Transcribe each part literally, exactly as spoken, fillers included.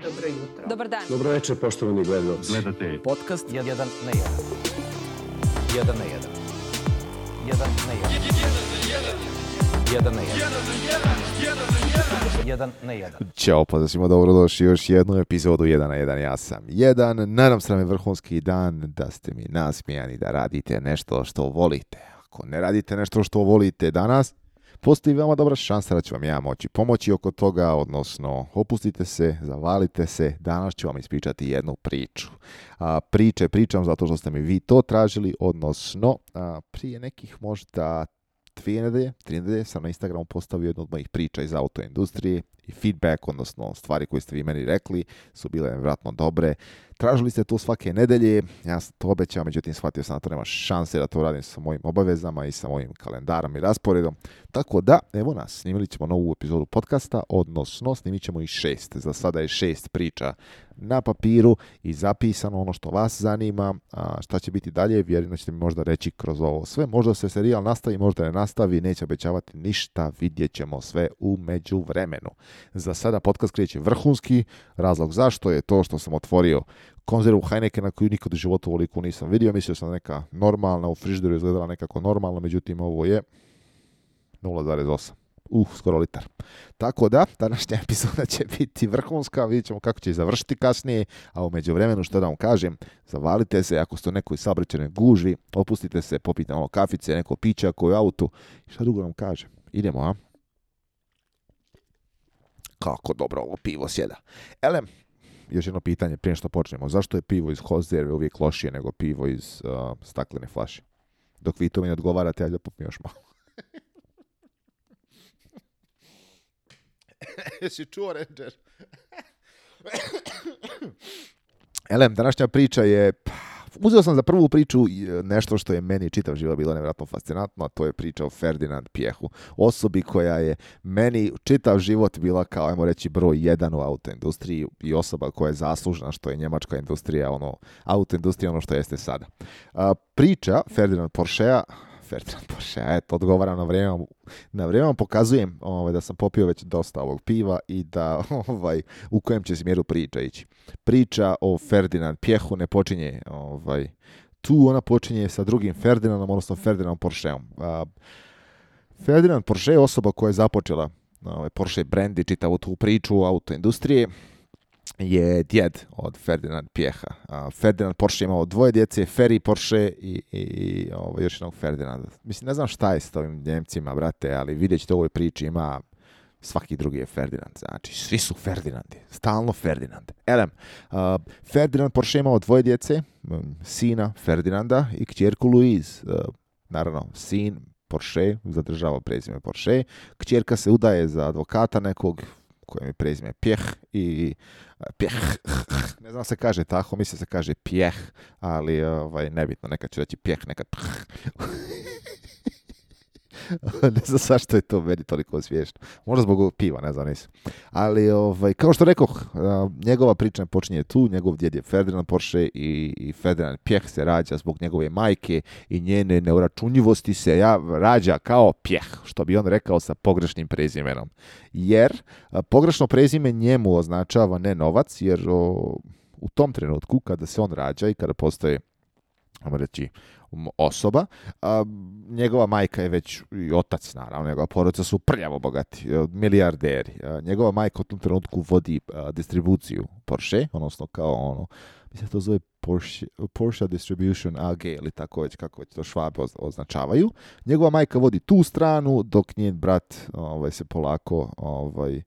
Dobro jutro. Dobar dan. Dobro večer, poštovani gledalci. Gledate Podcast jedan na jedan. Jedan na jedan. Jedan na jedan. Jedan na jedan. Jedan na jedan. Ćao, pozdrav svima, dobrodošli u još jednu epizodu jedan na jedan. Ja sam jedan. Nadam se nam je vrhunski dan, da ste mi nasmijani, da radite nešto što volite. Ako ne radite nešto što volite danas, postoji veoma dobra šansa da ću vam ja moći pomoći oko toga, odnosno opustite se, zavalite se, danas ću vam ispričati jednu priču. A, priče pričam zato što ste mi vi to tražili, odnosno a, prije nekih možda dvije nedelje, tri nedelje sam na Instagramu postavio jednu od mojih priča iz autoindustrije i feedback, odnosno stvari koje ste vi meni rekli, su bile vjerojatno dobre. Tražili ste to svake nedelje, ja sam to obećao, međutim shvatio sam da to nema šanse da to radim sa mojim obavezama i sa mojim kalendarom i rasporedom. Tako da, evo nas, snimili ćemo novu epizodu podcasta, odnosno snimit ćemo i šest. Za sada je šest priča na papiru i zapisano ono što vas zanima. A šta će biti dalje, vjerujem da ćete mi možda reći kroz ovo sve. Možda se serijal nastavi, možda ne nastavi, neće obećavati ništa, vidjet ćemo sve u međuvremenu. Za sada podcast kreće vrhunski, razlog zašto je to što sam otvorio konzervu Heinekena koju nikad u životu ovoliko nisam vidio. Mislio sam neka normalna, u frižideru izgledala nekako normalno, međutim ovo je nula zarez osam. Uh, skoro litar. Tako da, današnja epizoda će biti vrhunska, vidjet ćemo kako će završiti kasnije, a u međuvremenu što da vam kažem, zavalite se, ako ste u nekoj saobraćajnoj gužvi, opustite se, popite malo kafice, neko pića koju autu, i šta drugo vam kažem, idemo, a? Kako dobro ovo pivo sjeda. Ele, još jedno pitanje prije što počnemo, zašto je pivo iz konzerve uvijek lošije nego pivo iz uh, staklene flaše? Dok vi to mi ne odgovarate, ja da popim još malo. Jesi čuo, Ranger? Elem, današnja priča je... Uzeo sam za prvu priču nešto što je meni čitav život bilo nevjerojatno fascinantno, a to je priča o Ferdinand Piechu. Osobi koja je meni čitav život bila kao, ajmo reći, broj jedan u autoindustriji i osoba koja je zaslužna što je njemačka industrija, ono, autoindustrija ono što jeste sada. A, priča Ferdinand Porschea, Ferdinand Porschea, eto, odgovaram na vrijeme, na vrijeme vam pokazujem ovaj, da sam popio već dosta ovog piva i da ovaj, u kojem će smjeru priča ići. Priča o Ferdinand Piechu ne počinje ovaj, tu, ona počinje sa drugim Ferdinandom, odnosno Ferdinandom Porscheom. A, Ferdinand Porsche je osoba koja je započela ovaj, Porsche brand i čitavu tu priču autoindustrije, je djed od Ferdinand Piecha. Uh, Ferdinand Porsche imao dvoje djece, Ferry Porsche i, i, i ovo, još jednog Ferdinanda. Mislim, ne znam šta je s ovim Njemcima, brate, ali vidjet ćete u ovoj priči ima svaki drugi je Ferdinand. Znači, svi su Ferdinandi. Stalno Ferdinand. Elem, uh, Ferdinand Porsche imao dvoje djece, um, sina Ferdinanda i kćerku Louise. Uh, naravno, sin Porsche zadržava prezime Porsche. Kćerka se udaje za advokata nekog kojem je prezime Piech i Piech, ne znam se kaže tako, mislim se kaže Piech, ali ovaj, nebitno, nekad ću reći Piech, nekad ne znam zašto je to meni toliko smiješno. Možda zbog piva, ne znam, nisam. Ali, ovaj, kao što rekoh, njegova priča počinje tu, njegov djed je Ferdinand Porsche i, i Ferdinand Piech se rađa zbog njegove majke i njene neuračunljivosti se ja rađa kao Piech, što bi on rekao sa pogrešnim prezimenom. Jer a, pogrešno prezime njemu označava ne novac, jer o, u tom trenutku kada se on rađa i kada postoje, ajmo reći, osoba, a, njegova majka je već i otac, naravno, njegova porodica su prljavo bogati, milijarderi. A, njegova majka u tom trenutku vodi a, distribuciju Porsche, odnosno kao ono, mislim da to zove Porsche, Porsche Distribution A G ili tako već, kako već to Švabe označavaju. Njegova majka vodi tu stranu, dok njen brat ovaj, se polako ovaj,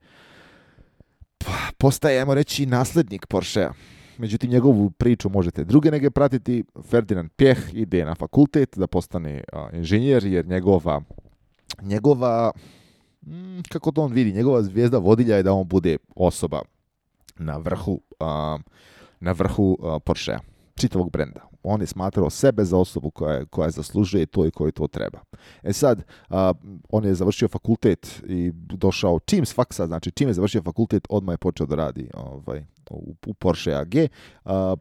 postaje, ajmo reći, nasljednik Porschea. Međutim, njegovu priču možete druge nege pratiti. Ferdinand Piech ide na fakultet da postane a, inženjer, jer njegova, njegova mm, kako to on vidi, njegova zvijezda vodilja je da on bude osoba na vrhu, a, na vrhu a, Porschea, čitavog brenda. On je smatrao sebe za osobu koja, koja zaslužuje to i koji to treba. E sad, a, on je završio fakultet i došao čim s faksa, znači čim je završio fakultet, odmah je počeo da radi ovaj, u, u Porsche A G. A,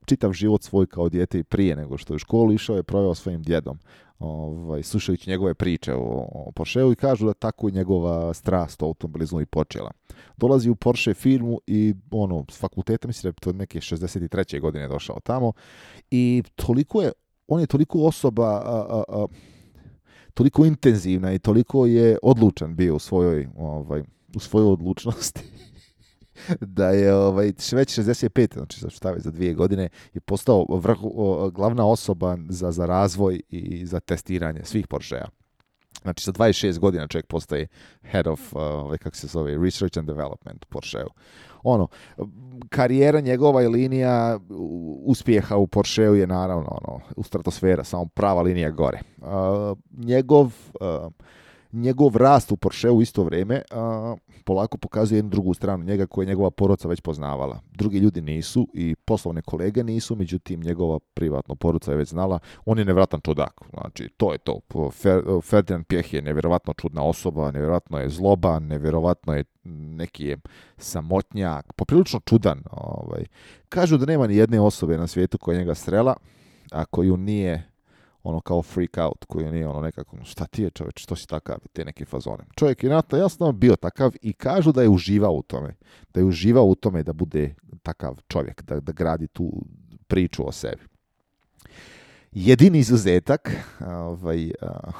čitav život svoj kao dijete i prije nego što je u školu išao je proveo svojim djedom. ovaj, slušajući njegove priče o, o Porscheu i kažu da tako i njegova strast o automobilizmu i počela. Dolazi u Porsche firmu i ono, s fakulteta, mislim da je to neke šezdeset treće godine došao tamo i toliko je, on je toliko osoba, a, a, a, toliko intenzivna i toliko je odlučan bio u svojoj, ovaj, u svojoj odlučnosti da je ovaj, već šezdeset pet, znači šta već za dvije godine, je postao vrhu, o, glavna osoba za, za razvoj i za testiranje svih Porschea. Znači sa dvadeset šest godina čovjek postaje head of, uh, kako se zove, research and development u Porscheu. Ono, karijera njegova i linija uspjeha u Porscheu je naravno ono, u stratosfera, samo prava linija gore. Uh, njegov... Uh, Njegov rast u Porscheu u isto vrijeme a, polako pokazuje jednu drugu stranu njega koju je njegova porodica već poznavala. Drugi ljudi nisu i poslovne kolege nisu, međutim njegova privatna porodica je već znala. On je nevjerojatan čudak, znači to je to. Fer, Ferdinand Piech je nevjerojatno čudna osoba, nevjerojatno je zloban, nevjerojatno je neki je samotnjak, poprilično čudan. Ovaj. Kažu da nema ni jedne osobe na svijetu koja njega strela, a koju nije ono kao freak out, koji nije ono nekako, šta ti je čovječ, što si takav, te neke fazone. Čovjek je nato jasno bio takav i kažu da je uživao u tome, da je uživao u tome da bude takav čovjek, da, da gradi tu priču o sebi. Jedini izuzetak, ovaj, a,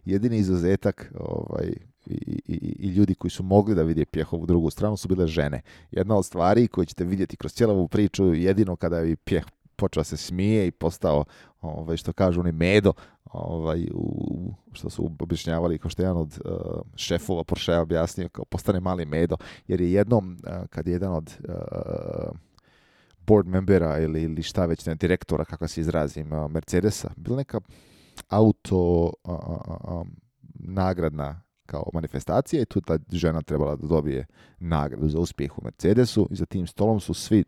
jedini izuzetak ovaj, i, i, i ljudi koji su mogli da vide Piehovu drugu stranu su bile žene. Jedna od stvari koju ćete vidjeti kroz cijelu ovu priču, jedino kada je Piech počeo se smije i postao, ovaj, što kažu oni medo, ovaj, u, što su objašnjavali, kao što je jedan od uh, šefova Porschea objasnio, kao postane mali medo, jer je jednom, uh, kad je jedan od uh, board membera ili, ili šta već, ne, direktora, kako se izrazim, uh, Mercedesa, bila neka auto uh, uh, um, nagradna kao manifestacija i tu ta žena trebala da dobije nagradu za uspjeh u Mercedesu i za tim stolom su svi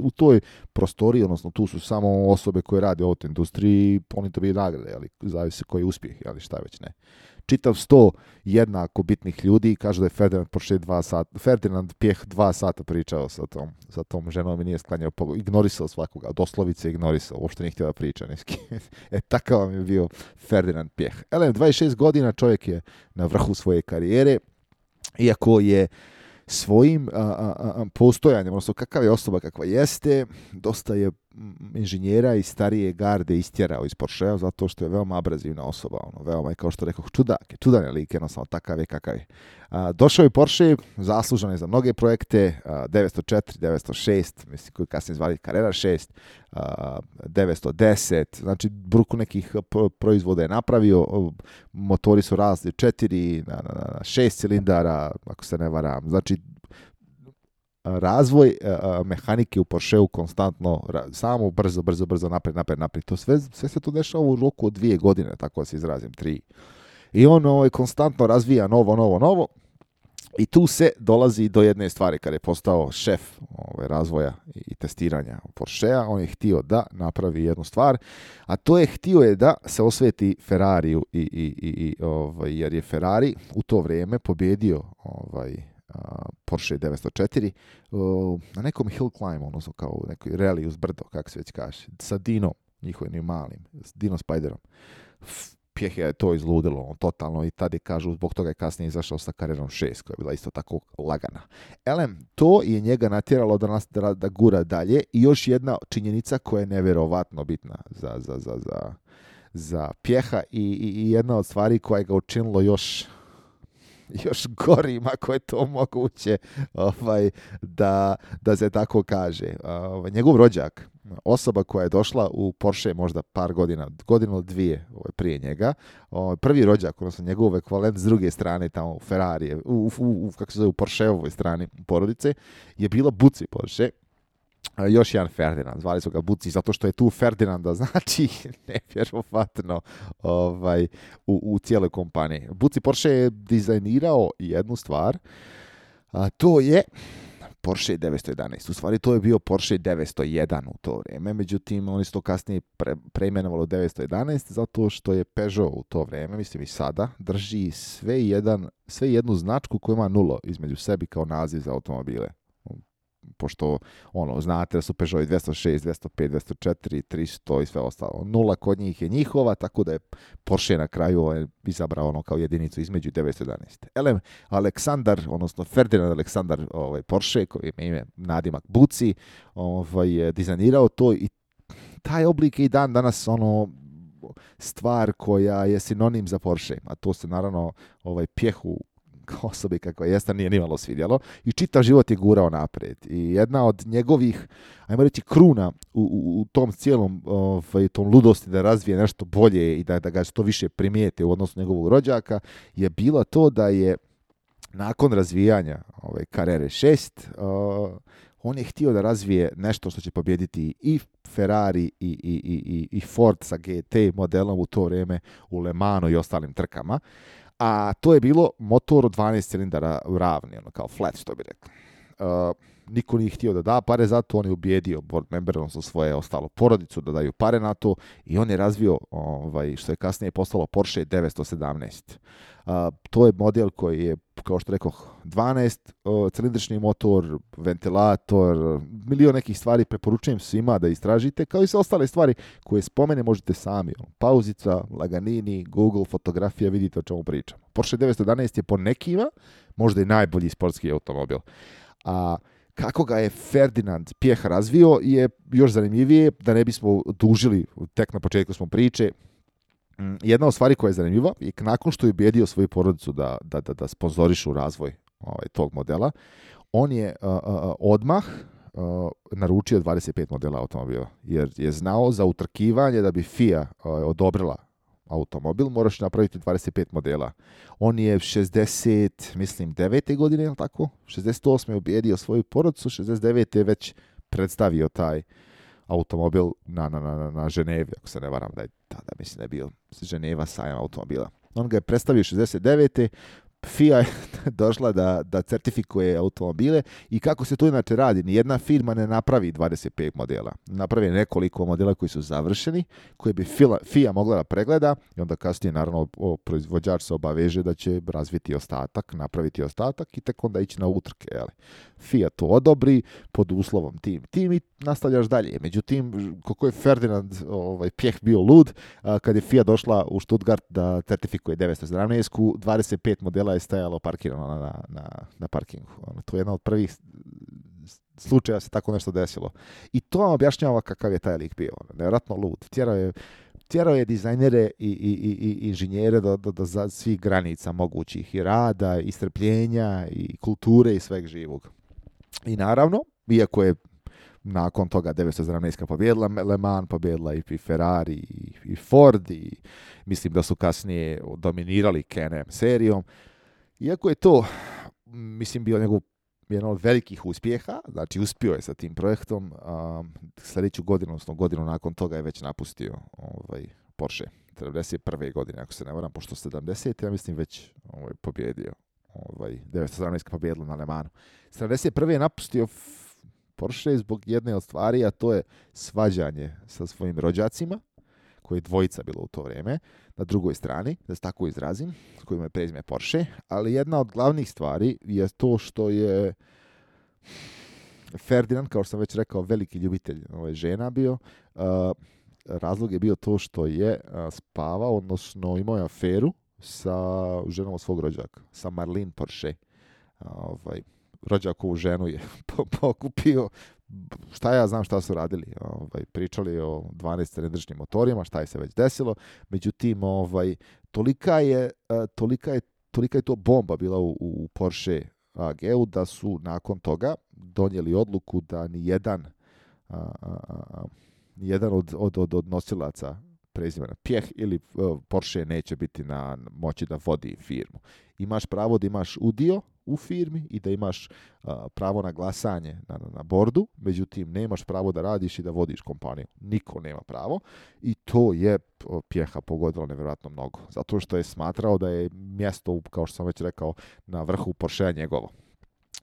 u toj prostoriji, odnosno tu su samo osobe koje rade u autoindustriji, oni dobiju nagrade, ali zavisi koji je uspjeh, ali šta već ne. Čitav sto jednako bitnih ljudi, kažu da je Ferdinand Porsche dva sata, Ferdinand Piech dva sata pričao sa tom, sa tom ženom i nije sklanjao pogled, ignorisao svakoga, doslovice ignorisao, uopšte nije htio da priča niski. E, takav vam je bio Ferdinand Piech. Elem, dvadeset šest godina čovjek je na vrhu svoje karijere, iako je svojim a, a, a, postojanjem, odnosno kakav je osoba kakva jeste, dosta je inženjera i starije garde istjerao iz Porschea zato što je veoma abrazivna osoba, ono, veoma je, kao što rekao, čudak, čudan je lik, jednostavno takav je kakav je. A, došao je Porsche, zaslužan je za mnoge projekte, a, devetsto četiri, devetsto šest, mislim koji kasnije zvali Carrera šest, a, devetsto deset, znači bruku nekih proizvoda je napravio, motori su razli četiri na, na, na šest cilindara, ako se ne varam, znači razvoj uh, mehanike u Porscheu konstantno, ra, samo brzo, brzo, brzo, napred, napred, napred. To sve, sve se to dešava u roku od dvije godine, tako da se izrazim, tri. I on ovaj, konstantno razvija novo, novo, novo. I tu se dolazi do jedne stvari, kada je postao šef ovaj, razvoja i testiranja Porschea, on je htio da napravi jednu stvar, a to je htio je da se osveti Ferrariju, i, i, i, i, ovaj, jer je Ferrari u to vrijeme pobjedio ovaj, Porsche devetsto četiri uh, na nekom hill climb, odnosno kao nekoj rally uz brdo, kako se već kaže, sa Dinom, njihovim malim, s Dino Spiderom. Piech je to izludilo, on, totalno, i tada je, kažu, zbog toga je kasnije izašao sa Carrerom šest, koja je bila isto tako lagana. Elem, to je njega natjeralo da, nas, da, da gura dalje i još jedna činjenica koja je nevjerovatno bitna za, za, za, za, za Piecha i, i, i jedna od stvari koja je ga učinilo još još gorim, ako je to moguće, ovaj, da, da se tako kaže. Ovaj, njegov rođak, osoba koja je došla u Porsche možda par godina, godinu ili dvije ovaj, prije njega, ovaj, prvi rođak, odnosno njegov ekvivalent s druge strane, tamo u Ferrari, u, u, u, kako se zove, u Porscheovoj strani porodice, je bila Buci Porsche. Još jedan Ferdinand, zvali su ga Buci, zato što je tu Ferdinanda, znači nevjerovatno ovaj, u, u cijeloj kompaniji. Buci Porsche je dizajnirao jednu stvar, a to je Porsche devetsto jedanaest. U stvari to je bio Porsche devetsto jedan u to vrijeme, međutim oni su to kasnije pre, preimenovali devetsto jedanaest zato što je Peugeot u to vrijeme, mislim i sada, drži sve, jedan, sve jednu značku koja ima nulo između sebi kao naziv za automobile. pošto ono, znate da su Peugeot dvjesto šest, dvjesto pet, dvjesto četiri, tristo i sve ostalo. Nula kod njih je njihova, tako da je Porsche na kraju ovaj, izabrao ono kao jedinicu između devetsto jedanaest. Elem, Aleksandar, odnosno Ferdinand Aleksandar ovaj, Porsche, koji ima ime nadimak Buci, ovaj, je dizajnirao to i taj oblik je i dan danas ono stvar koja je sinonim za Porsche, a to se naravno ovaj Pjehu osobi kakva jeste nije nimalo svidjelo i čitav život je gurao naprijed. I jedna od njegovih, ajmo reći, kruna u, u, u tom cijelom ovaj, tom ludosti da razvije nešto bolje i da, da ga što više primijete u odnosu njegovog rođaka je bila to da je nakon razvijanja ovaj, Carrere šest uh, on je htio da razvije nešto što će pobijediti i Ferrari i, i, i, i Ford sa G T modelom u to vrijeme u Le Mansu i ostalim trkama. A to je bilo motor od dvanaest cilindara ravni, ono kao flat, što bi rekli. Uh, niko nije htio da da pare za to, on je ubijedio board member, odnosno svoje ostalo porodicu da daju pare na to i on je razvio, ovaj, što je kasnije postalo Porsche devetsto sedamnaest. Uh, to je model koji je, kao što rekoh, dvanaest uh, cilindrični motor, ventilator, milion nekih stvari, preporučujem svima da istražite, kao i sve ostale stvari koje spomene možete sami. Pauzica, laganini, Google, fotografija, vidite o čemu pričam. Porsche devetsto jedanaest je po nekima možda i najbolji sportski automobil. A kako ga je Ferdinand Piech razvio je još zanimljivije, da ne bismo dužili, tek na početku smo priče. Jedna od stvari koja je zanimljiva je nakon što je ubijedio svoju porodicu da, da, da, da sponzorišu razvoj ovaj, tog modela, on je uh, uh, odmah uh, naručio dvadeset pet modela automobila, jer je znao za utrkivanje da bi F I A uh, odobrila automobil, moraš napraviti dvadeset pet modela. On je šezdeset, mislim, devete godine, je li tako? šezdeset osme je ubijedio svoju porodicu, šezdeset devete je već predstavio taj automobil na, na, na, na Ženevi, ako se ne varam, da je tada, mislim, da je bio Ženeva sajam automobila. On ga je predstavio šezdeset devete F I A je došla da, da certifikuje automobile i kako se to inače radi, nijedna firma ne napravi dvadeset pet modela. Napravi nekoliko modela koji su završeni, koje bi F I A mogla da pregleda i onda kasnije naravno proizvođač se obaveže da će razviti ostatak, napraviti ostatak i tek onda ići na utrke. Jeli. F I A to odobri pod uslovom tim. Tim i nastavljaš dalje. Međutim, kako je Ferdinand ovaj, Piech bio lud, a, kad je F I A došla u Stuttgart da certifikuje devetsto sedamnaest, dvadeset pet modela je stajalo parkirano na, na, na, na parkingu. Ono, to je jedna od prvih slučaja se tako nešto desilo. I to vam objašnjava kakav je taj lik bio. Nevjerojatno lud. Tjerao je, tjerao je dizajnere i, i, i, i inženjere do, do, do za svih granica mogućih i rada, i strpljenja, i kulture i sveg živog. I naravno, iako je nakon toga devetsto sedamnaest pobjedila Le Mans, pobjedila i Ferrari i, i Ford i mislim da su kasnije dominirali Can-Am serijom. Iako je to, mislim, bio njegov jedan od velikih uspjeha, znači uspio je sa tim projektom, um, sljedeću godinu, odnosno godinu nakon toga je već napustio ovaj, Porsche. sedamdeset prve godine, ako se ne varam, pošto sedamdesete ja mislim već ovaj, pobjedio. Ovaj, devetsto sedamnaest pobjedila na Le Mansu. sedamdeset prve je napustio Porsche zbog jedne od stvari, a to je svađanje sa svojim rođacima, koji je dvojica bilo u to vrijeme, na drugoj strani, da se tako izrazim, s kojima je prezime Porsche, ali jedna od glavnih stvari je to što je Ferdinand, kao što sam već rekao, veliki ljubitelj ovaj, žena bio. Uh, razlog je bio to što je uh, spavao, odnosno imao je aferu sa ženom od svog rođaka, sa Marlene Porsche. Uh, ovaj, rođakovu ženu je pokupio, šta ja znam šta su radili, ovaj, pričali o dvanaest cilindričnim motorima, šta je se već desilo, međutim, ovaj, tolika je, tolika je, tolika je to bomba bila u, u Porsche A G-u da su nakon toga donijeli odluku da nijedan, a, a, a, nijedan od, od, od, od nosilaca prezimena Piech ili uh, Porsche neće biti na moći da vodi firmu. Imaš pravo da imaš udio u firmi i da imaš uh, pravo na glasanje na, na bordu, međutim nemaš pravo da radiš i da vodiš kompaniju. Niko nema pravo i to je Piecha pogodilo nevjerojatno mnogo. Zato što je smatrao da je mjesto, kao što sam već rekao, na vrhu Porschea njegovo.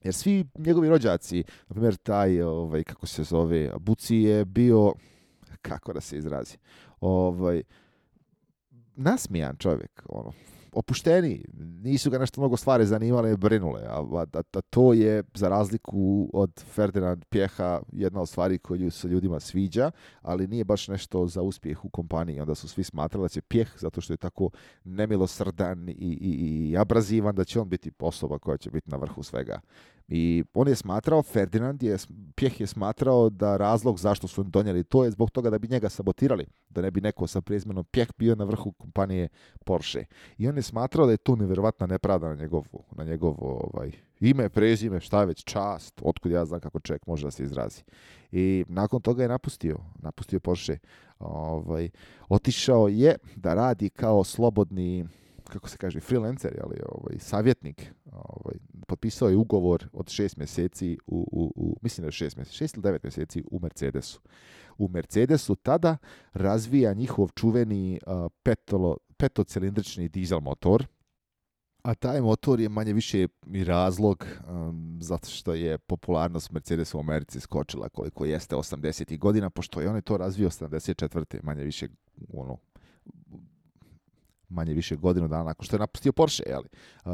Jer svi njegovi rođaci, na primjer taj, ovaj, kako se zove, Buci je bio, kako da se izrazi, ovaj, nasmijan čovjek, ono, opušteni, nisu ga nešto mnogo stvari zanimale i brinule, a, a, a to je za razliku od Ferdinand Pjeha jedna od stvari koju se ljudima sviđa, ali nije baš nešto za uspjeh u kompaniji. Onda su svi smatrali da će Pjeh, zato što je tako nemilosrdan i, i, i abrazivan, da će on biti osoba koja će biti na vrhu svega. I on je smatrao, Ferdinand je, Pjeh je smatrao da razlog zašto su donijeli to je zbog toga da bi njega sabotirali, da ne bi neko sa prezimenom Pjeh bio na vrhu kompanije Porsche. I on je smatrao da je to nevjerovatna nepravda na njegovo, na njegovo ovaj, ime, prezime, šta već, čast, otkud ja znam kako čovjek može da se izrazi. I nakon toga je napustio, napustio Porsche. Ovaj, otišao je da radi kao slobodni, kako se kaže, freelancer, ali ovaj, savjetnik. Ovaj, potpisao je ugovor od šest mjeseci, u, u, u, mislim da je šest mjeseci, šest ili devet mjeseci u Mercedesu. U Mercedesu tada razvija njihov čuveni uh, petolo, petocilindrični dizel motor, a taj motor je manje više i razlog um, zato što je popularnost Mercedesa u Americi skočila koliko jeste osamdesetih godina, pošto je on je to razvio sedamdeset četvrte manje više ono, manje više godinu dana nakon što je napustio Porsche, jeli. Uh,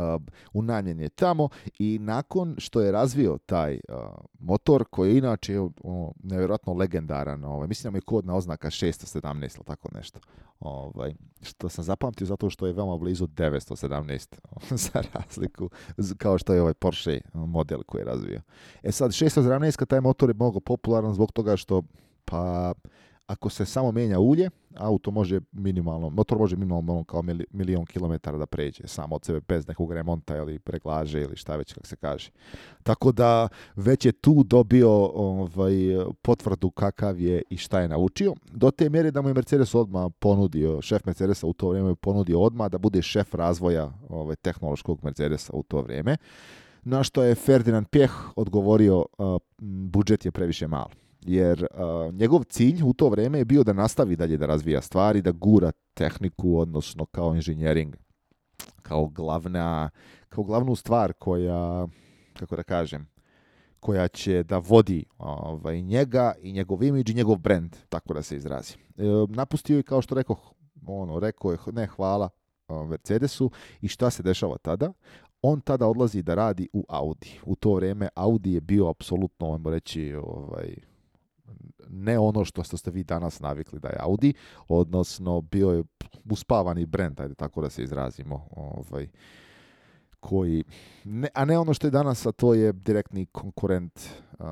unajmljen je tamo i nakon što je razvio taj uh, motor, koji je inače ono, nevjerojatno legendaran, ovaj, mislim da je kodna oznaka šesto sedamnaest ili tako nešto, ovaj, što sam zapamtio zato što je veoma blizu devetsto sedamnaest za razliku, kao što je ovaj Porsche model koji je razvio. E sad, šesto sedamnaest, taj motor je mnogo popularan zbog toga što, pa, ako se samo mijenja ulje, auto može minimalno, motor može minimalno kao milion kilometara da pređe samo od sebe bez nekog remonta ili preglaže ili šta već kako se kaže. Tako da već je tu dobio ovaj, potvrdu kakav je i šta je naučio. Do te mjere da mu je Mercedes odmah ponudio, šef Mercedesa u to vrijeme je ponudio odmah da bude šef razvoja ovaj, tehnološkog Mercedesa u to vrijeme. Na što je Ferdinand Pjeh odgovorio, uh, budžet je previše mal. Jer uh, njegov cilj u to vrijeme je bio da nastavi dalje da razvija stvari, da gura tehniku, odnosno kao inženjering, kao glavna, kao glavnu stvar koja, kako da kažem, koja će da vodi ovaj, njega i njegov imidž i njegov brand, tako da se izrazi. E, napustio je, kao što rekao, ono, rekao je ne hvala Mercedesu i šta se dešava tada? On tada odlazi da radi u Audi. U to vrijeme Audi je bio apsolutno, ajmo reći, ovaj, ne ono što ste vi danas navikli da je Audi, odnosno bio je uspavani brend, ajde tako da se izrazimo, ovaj, koji, ne, a ne ono što je danas, a to je direktni konkurent uh,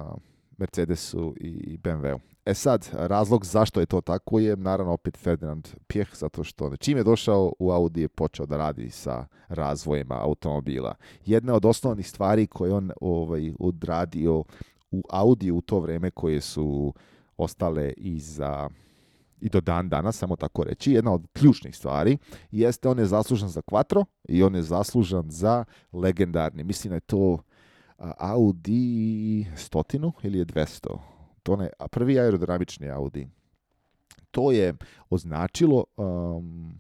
Mercedesu i B M W-u. E sad, razlog zašto je to tako je, naravno, opet Ferdinand Pjeh, zato što čim je došao u Audi je počeo da radi sa razvojima automobila. Jedna od osnovnih stvari koje on ovaj, odradio u Audi u to vrijeme, koje su ostale i za i do dan danas, samo tako reći, jedna od ključnih stvari jeste on je zaslužan za Quattro i on je zaslužan za legendarni, mislim da je to Audi stotinu ili je dvjesto. To ne, a prvi aerodinamični Audi. To je označilo um,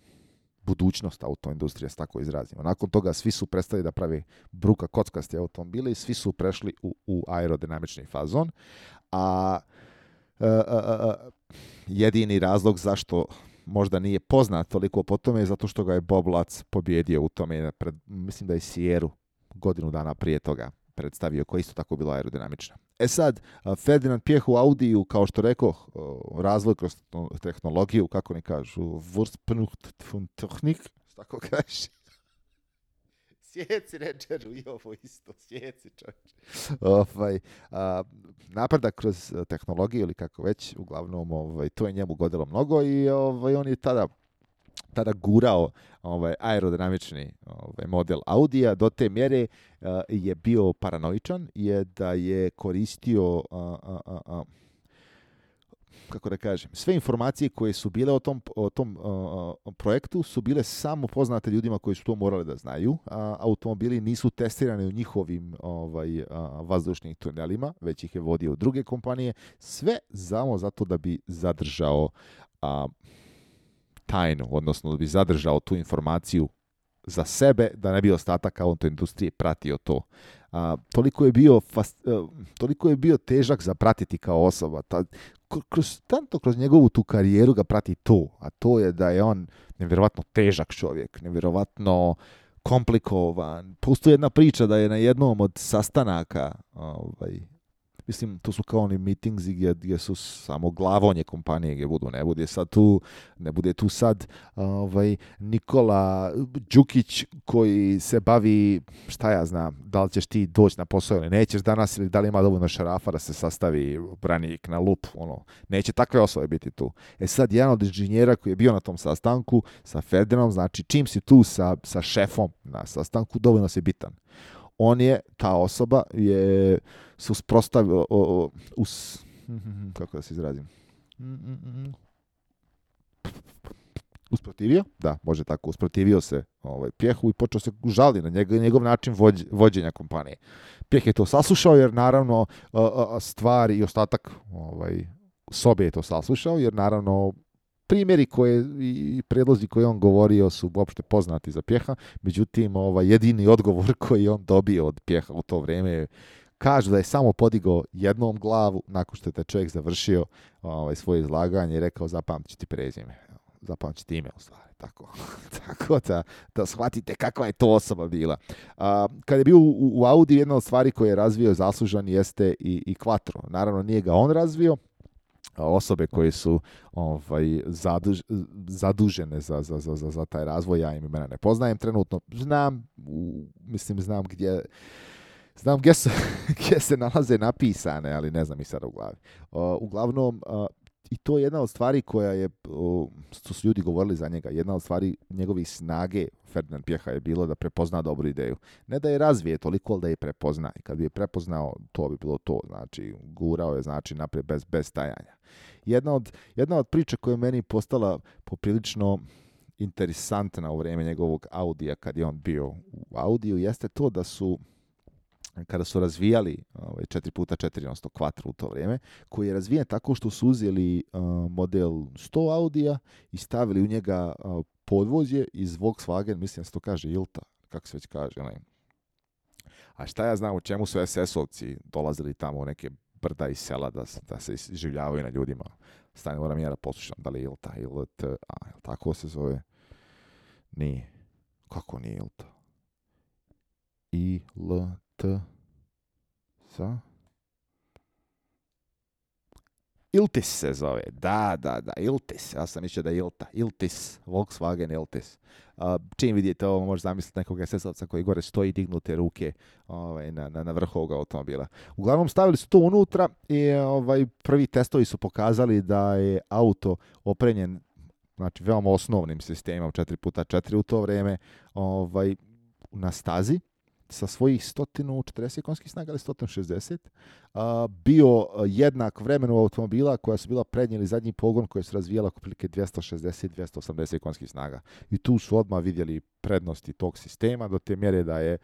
budućnost autoindustrije, s tako izrazimo. Nakon toga svi su prestali da pravi bruka kockaste automobile i svi su prešli u, u aerodinamični fazon. A uh, uh, uh, jedini razlog zašto možda nije poznat toliko po tome je zato što ga je Bob Lutz pobjedio u tome, pred, mislim da je Sieru godinu dana prije toga predstavio, koja isto tako bila aerodinamična. E sad, Ferdinand Pjeh u Audiju, kao što rekoh, razvoj kroz tehnologiju, kako ne kažu, Wursprungtechnik, tako kaže. Sjeci, Redžeru, i ovo isto, sjeci, čovječ. Ovaj, a, napredak kroz tehnologiju, ili kako već, uglavnom, ovaj, to je njemu godilo mnogo i ovaj, on je tada tada gurao ovaj, aerodinamični ovaj, model Audija do te mjere uh, je bio paranoičan, je da je koristio uh, uh, uh, uh, kako da kažem, sve informacije koje su bile o tom, o tom uh, projektu su bile samo poznate ljudima koji su to morali da znaju. A automobili nisu testirani u njihovim ovaj, uh, vazdušnim tunelima, već ih je vodio u druge kompanije. Sve samo zato da bi zadržao uh, tajnu, odnosno da bi zadržao tu informaciju za sebe, da ne bi ostatak autoindustrije pratio to. A, toliko je bio fast, uh, toliko je bio težak za pratiti kao osoba. Ta, kroz, tanto kroz njegovu tu karijeru ga prati to, a to je da je on nevjerovatno težak čovjek, nevjerovatno komplikovan. Postoji jedna priča da je na jednom od sastanaka, ovaj, mislim, to su kao oni meetingsi gdje, gdje su samo glavonje kompanije gdje budu, ne bude sad tu, ne bude tu sad ovaj, Nikola Đukić koji se bavi, šta ja znam, da li ćeš ti doći na posao ili nećeš danas, ili da li ima dovoljno šarafa da se sastavi branik na lup, ono, neće takve osobe biti tu. E sad, jedan od inženjera koji je bio na tom sastanku sa Ferdinandom, znači čim si tu sa, sa šefom na sastanku, dovoljno si bitan. On je, ta osoba je se usprostavio, us, kako da se izrazim, usprotivio, da, može tako, usprotivio se ovaj, Pjehu i počeo se žali na njegov, njegov način vođ, vođenja kompanije. Pjeh je to saslušao jer naravno stvari i ostatak ovaj, sobe je to saslušao jer naravno primjeri koje i predlozi koje on govorio su uopšte poznati za Pjeha, međutim ovaj, jedini odgovor koji on dobio od Pjeha u to vrijeme kaže da je samo podigao jednom glavu nakon što je taj čovjek završio ovaj, svoje izlaganje i rekao zapamtit ću ti prezime, zapamtit ću ti ime u stvari. Tako, tako da, da shvatite kakva je to osoba bila. A, kad je bio u, u Audi, jedna od stvari koje je razvio zaslužan jeste i, i Quattro. Naravno nije ga on razvio, osobe koje su ovaj, zaduž, zadužene za, za, za, za taj razvoj, ja im imena ne poznajem trenutno, znam, u, mislim znam gdje, znam gdje se, gdje se nalaze napisane, ali ne znam i sad u glavi. Uh, uglavnom, uh, i to je jedna od stvari koja je, uh, što su ljudi govorili za njega, jedna od stvari njegovih snage Ferdinand Pjeha je bilo da prepozna dobru ideju. Ne da je razvije toliko, ali da je prepozna. I kad bi je prepoznao, to bi bilo to. Znači, gurao je znači naprijed bez, bez stajanja. Jedna od, jedna od priča koja je meni postala poprilično interesantna u vrijeme njegovog Audija, kad je on bio u Audiju, jeste to da su kada su razvijali ovaj, četiri puta četiri, odnosno Quattro u to vrijeme, koji je razvijen tako što su uzeli uh, model sto Audija i stavili u njega uh, podvozje iz Volkswagen, mislim da se to kaže Ilta, kako se već kaže. Ne? A šta ja znam u čemu su es es-ovci dolazili tamo u neke brda i sela da, da se življavaju na ljudima. Stani, moram ja da poslušam da li je Ilta, Ilta, a, tako se zove? Nije. Kako nije Ilta? I, L, T, sa... Iltis se zove, da, da, da, Iltis, ja sam mislio da je Ilta, Iltis, Volkswagen Iltis. Uh, čim vidite ovo, možeš zamisliti nekog es es-ovca koji gore stoji dignute ruke ovaj, na, na, na vrhu ovoga automobila. Uglavnom stavili su to unutra i ovaj, prvi testovi su pokazali da je auto opremljen, znači veoma osnovnim sistemom četiri puta četiri u to vrijeme, ovaj, na stazi, sa svojih sto četrdeset konjskih snaga ili sto šezdeset, uh, bio jednak vremenu automobila koja su bila prednji ili zadnji pogon koja su razvijala otprilike dvjesto šezdeset do dvjesto osamdeset konjskih snaga. I tu su odmah vidjeli prednosti tog sistema do te mjere da je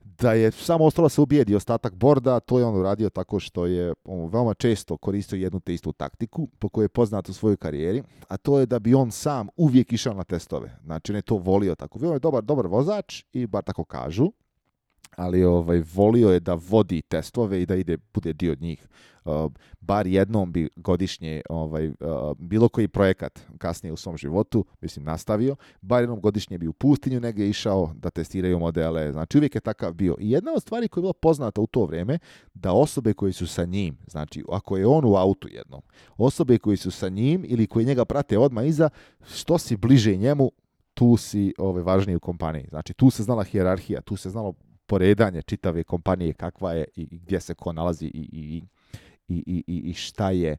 da je samo ostalo se ubijedi ostatak borda, to je on uradio tako što je on veoma često koristio jednu te istu taktiku po kojoj je poznat u svojoj karijeri, a to je da bi on sam uvijek išao na testove. Znači on je to volio tako. On je dobar, dobar vozač i bar tako kažu, ali ovaj, volio je da vodi testove i da ide, bude dio od njih. Uh, bar jednom bi godišnje ovaj, uh, bilo koji projekat kasnije u svom životu, mislim, nastavio, bar jednom godišnje bi u pustinju negdje išao da testiraju modele. Znači uvijek je takav bio. I jedna od stvari koja je bila poznata u to vrijeme, da osobe koji su sa njim, znači ako je on u autu jednom, osobe koji su sa njim ili koji njega prate odmah iza, što si bliže njemu, tu si ovaj, važniji u kompaniji. Znači tu se znala hijerarhija, tu se znalo poredanje čitave kompanije, kakva je i, i gdje se ko nalazi i, i, i, i, i šta je.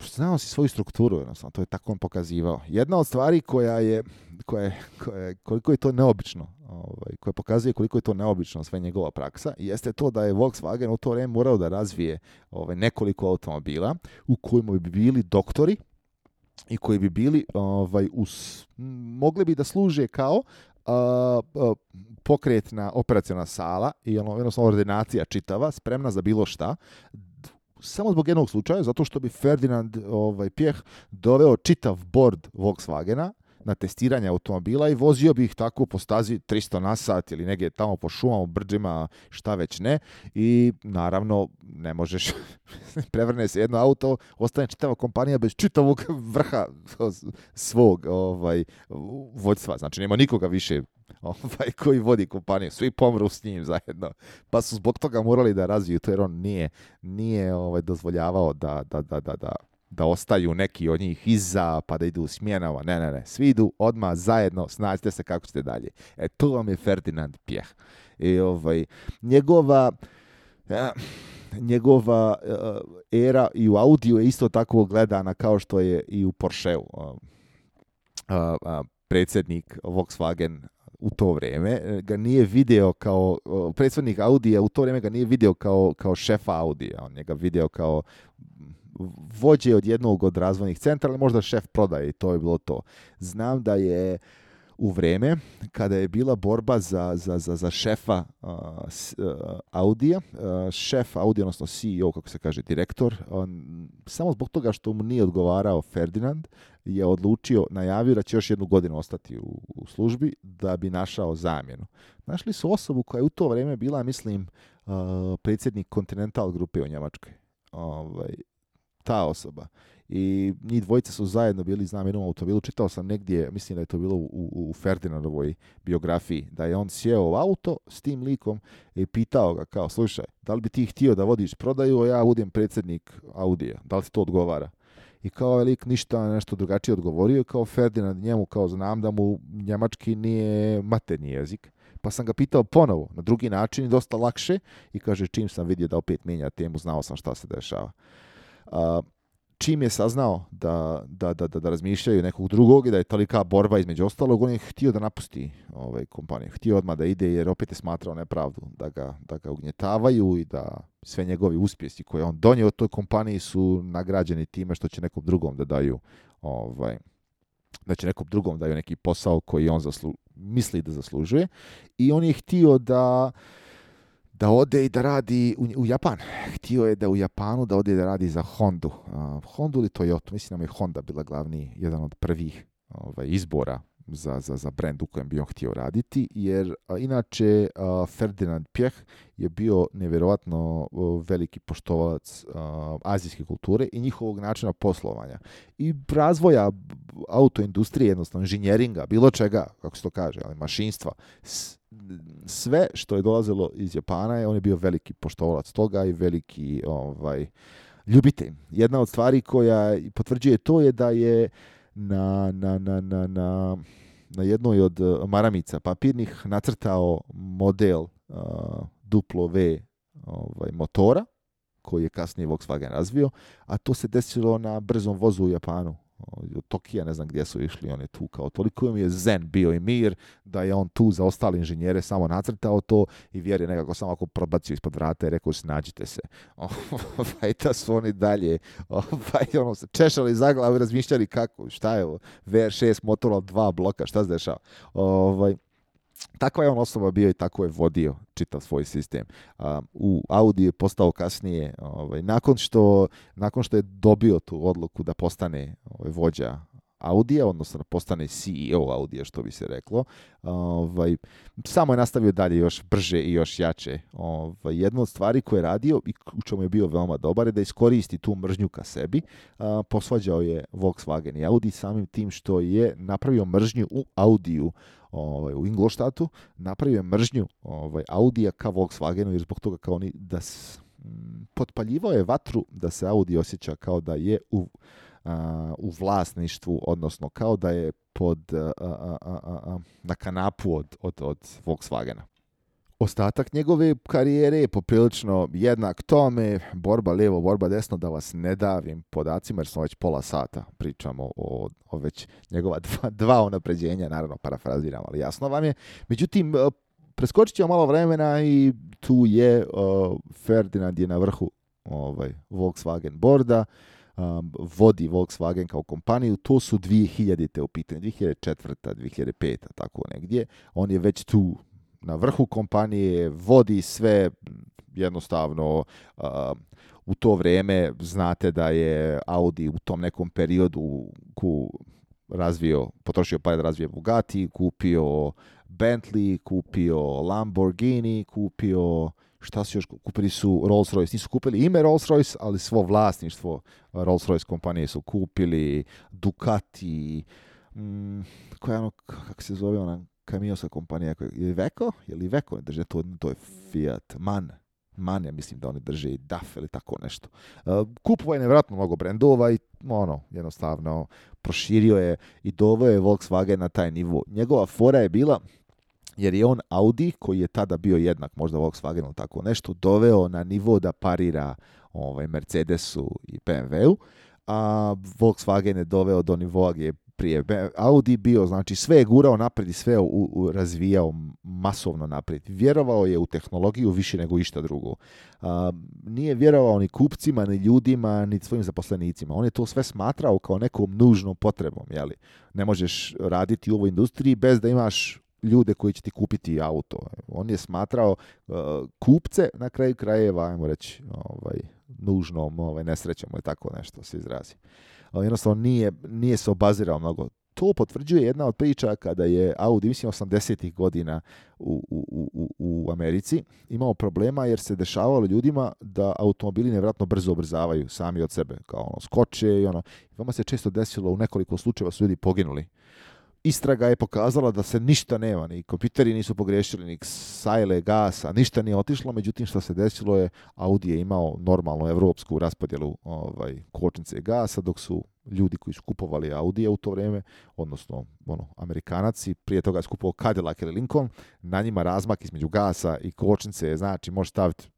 Znao si svoju strukturu, jednostavno, to je tako on pokazivao. Jedna od stvari koja je, koja je, koja je koliko je to neobično, ovaj, koja pokazuje koliko je to neobično sve njegova praksa, jeste to da je Volkswagen u to vrijeme morao da razvije ovaj, nekoliko automobila u kojima bi bili doktori i koji bi bili, ovaj, us, mogli bi da služe kao Uh, uh, pokretna operaciona sala i ono, jednostavno ordinacija čitava, spremna za bilo šta, samo zbog jednog slučaja, zato što bi Ferdinand ovaj, Pjeh doveo čitav bord Volkswagena na testiranje automobila i vozio bi ih tako po stazi tristo na sat ili negdje tamo po šumama, brđima, šta već ne. I naravno ne možeš, prevrne se jedno auto, ostane čitava kompanija bez čitavog vrha svog ovaj, vođstva. Znači nema nikoga više ovaj, koji vodi kompaniju. Svi pomru s njim zajedno. Pa su zbog toga morali da razviju to jer on nije, nije ovaj, dozvoljavao da, da, da, da, da da ostaju neki od njih iza, pa da idu u smjenama. Ne, ne, ne. Svi idu odmah zajedno, snađite se kako ćete dalje. E, to vam je Ferdinand Piech. I ovaj, njegova ja, njegova uh, era i u Audiju je isto tako gledana kao što je i u Porscheu. Uh, uh, uh, predsjednik Volkswagen u to vrijeme ga nije video kao, uh, predsjednik Audija u to vrijeme ga nije video kao, kao šefa Audija. On je ga video kao vođe od jednog od razvojnih centra, ali možda šef prodaje i to je bilo to. Znam da je u vrijeme kada je bila borba za, za, za, za šefa uh, uh, Audija, uh, šef Audija, odnosno C E O, kako se kaže, direktor, on, samo zbog toga što mu nije odgovarao Ferdinand, je odlučio, najavio da će još jednu godinu ostati u, u službi da bi našao zamjenu. Našli su osobu koja je u to vrijeme bila, mislim, uh, predsjednik Continental grupe u Njemačkoj. Ovaj, ta osoba. I njih dvojice su zajedno bili, znam, jednom automobilu. Čitao sam negdje, mislim da je to bilo u, u Ferdinandovoj biografiji, da je on sjeo u auto s tim likom i pitao ga kao, slušaj, da li bi ti htio da vodiš prodaju, a ja budem predsjednik Audija, da li ti to odgovara? I kao je lik ništa nešto drugačije odgovorio, kao Ferdinand njemu, kao znam da mu njemački nije maternji jezik. Pa sam ga pitao ponovo, na drugi način i dosta lakše, i kaže, čim sam vidio da opet mijenja temu, znao sam šta se dešava. Uh, čim je saznao da, da, da, da, da razmišljaju nekog drugog i da je tolika borba između ostalog, on je htio da napusti ovaj, kompaniju. Htio odmah da ide jer opet je smatrao nepravdu, da ga, da ga ugnjetavaju i da sve njegovi uspjesi koje on donio toj kompaniji su nagrađeni time što će nekom drugom da daju ovaj, da će nekom drugom daju neki posao koji on zaslu, misli da zaslužuje. I on je htio da da ode i da radi u, u Japan. Htio je da u Japanu da ode i da radi za Hondu. Uh, Hondu ili Toyota. Mislim da je Honda bila glavni, jedan od prvih ovaj, izbora za, za, za brand u kojem bi on htio raditi, jer a, inače a, Ferdinand Piech je bio nevjerojatno a, veliki poštovalac a, azijske kulture i njihovog načina poslovanja. I razvoja autoindustrije, jednostavno inženjeringa, bilo čega, kako se to kaže, ali mašinstva, s, sve što je dolazilo iz Japana, on je bio veliki poštovalac toga i veliki ovaj, ljubitelj. Jedna od stvari koja potvrđuje to je da je na, na, na, na, na, na jednoj od maramica papirnih nacrtao model uh, duplo V ovaj, motora, koji je kasnije Volkswagen razvio, a to se desilo na brzom vozu u Japanu. Od Tokija, ne znam gdje su išli, on je tu kao toliko im je zen bio i mir, da je on tu za ostale inženjere samo nacrtao to i vjer je nekako samo ako probacio ispod vrata i rekao snađite se. Ovaj, da su oni dalje ovaj, ono, se češali za glavu i razmišljali kako, šta je ovo, V R šest motor, dva bloka, šta se dešava. Ovaj, takva je on osoba bio i tako je vodio čitav svoj sistem. Um, u Audi je postao kasnije, ovaj, nakon, što, nakon što je dobio tu odluku da postane ovaj, vođa Audija, odnosno da postane C E O Audija, što bi se reklo, ovaj, samo je nastavio dalje još brže i još jače. Ovaj, jedna od stvari koje je radio i u čemu je bio veoma dobar je da iskoristi tu mržnju ka sebi. A, posvađao je Volkswagen i Audi samim tim što je napravio mržnju u Audiju, ovaj, u Ingolstadtu, napravio je mržnju ovaj, Audija ka Volkswagenu jer zbog toga kao oni da s, m, potpaljivao je vatru da se Audi osjeća kao da je u Uh, u vlasništvu, odnosno kao da je pod, uh, uh, uh, uh, na kanapu od, od, od Volkswagena. Ostatak njegove karijere je poprilično jednak tome, borba lijevo, borba desno, da vas ne davim podacima, jer smo već pola sata pričamo o, o već njegova dva, dva unapređenja, naravno parafraziram, ali jasno vam je. Međutim, uh, preskočit ćemo malo vremena i tu je uh, Ferdinand je na vrhu ovaj, Volkswagen borda. Um, vodi Volkswagen kao kompaniju, to su dvije hiljadite u pitanju, dvije hiljade četvrta, dvije hiljade peta, tako negdje. On je već tu na vrhu kompanije, vodi sve jednostavno. Uh, u to vrijeme znate da je Audi u tom nekom periodu ku razvio, potrošio pare da razvije Bugatti, kupio Bentley, kupio Lamborghini, kupio, šta su još, kupili su Rolls-Royce, nisu kupili ime Rolls-Royce, ali svo vlasništvo Rolls-Royce kompanije su kupili, Ducati, mm, koja je ono, kako se zove ona kamionska kompanija, je li Iveco? Je li Iveco ne drže to, to je Fiat, MAN, MAN ja mislim da oni drže i D A F ili tako nešto. Uh, kupovao je nevjerojatno mnogo brendova i ono, jednostavno proširio je i doveo je Volkswagen na taj nivo. Njegova fora je bila, jer je on Audi, koji je tada bio jednak možda Volkswagenu tako nešto, doveo na nivo da parira ovaj, Mercedesu i B M W-u, a Volkswagen je doveo do nivoa gdje je prije Audi bio, znači sve je gurao naprijed i sve u, u, razvijao masovno naprijed. Vjerovao je u tehnologiju više nego išta drugo. A, nije vjerovao ni kupcima, ni ljudima, ni svojim zaposlenicima. On je to sve smatrao kao nekom nužnom potrebom. Jeli? Ne možeš raditi u ovoj industriji bez da imaš ljude koji će ti kupiti auto. On je smatrao uh, kupce na kraju krajeva, ajmo reći, ovaj, nužnom ovaj, nesrećom ili tako nešto se izrazi. Jednostavno nije, nije se obazirao mnogo. To potvrđuje jedna od priča kada je Audi, mislim osamdesetih godina u, u, u, u Americi, imao problema jer se dešavalo ljudima da automobili nevjerojatno brzo ubrzavaju sami od sebe, kao ono, skoče i ono. Vama se često desilo, u nekoliko slučajeva su ljudi poginuli. Istraga je pokazala da se ništa nema, ni kompjuteri nisu pogriješili, ni sajle, gasa, ništa nije otišlo, međutim što se desilo je, Audi je imao normalnu evropsku raspodjelu ovaj, kočnice gasa, dok su ljudi koji su kupovali Audije u to vrijeme, odnosno ono, Amerikanac, prije toga je skupovao Cadillac ili Lincoln, na njima razmak između gasa i kočnice, znači može staviti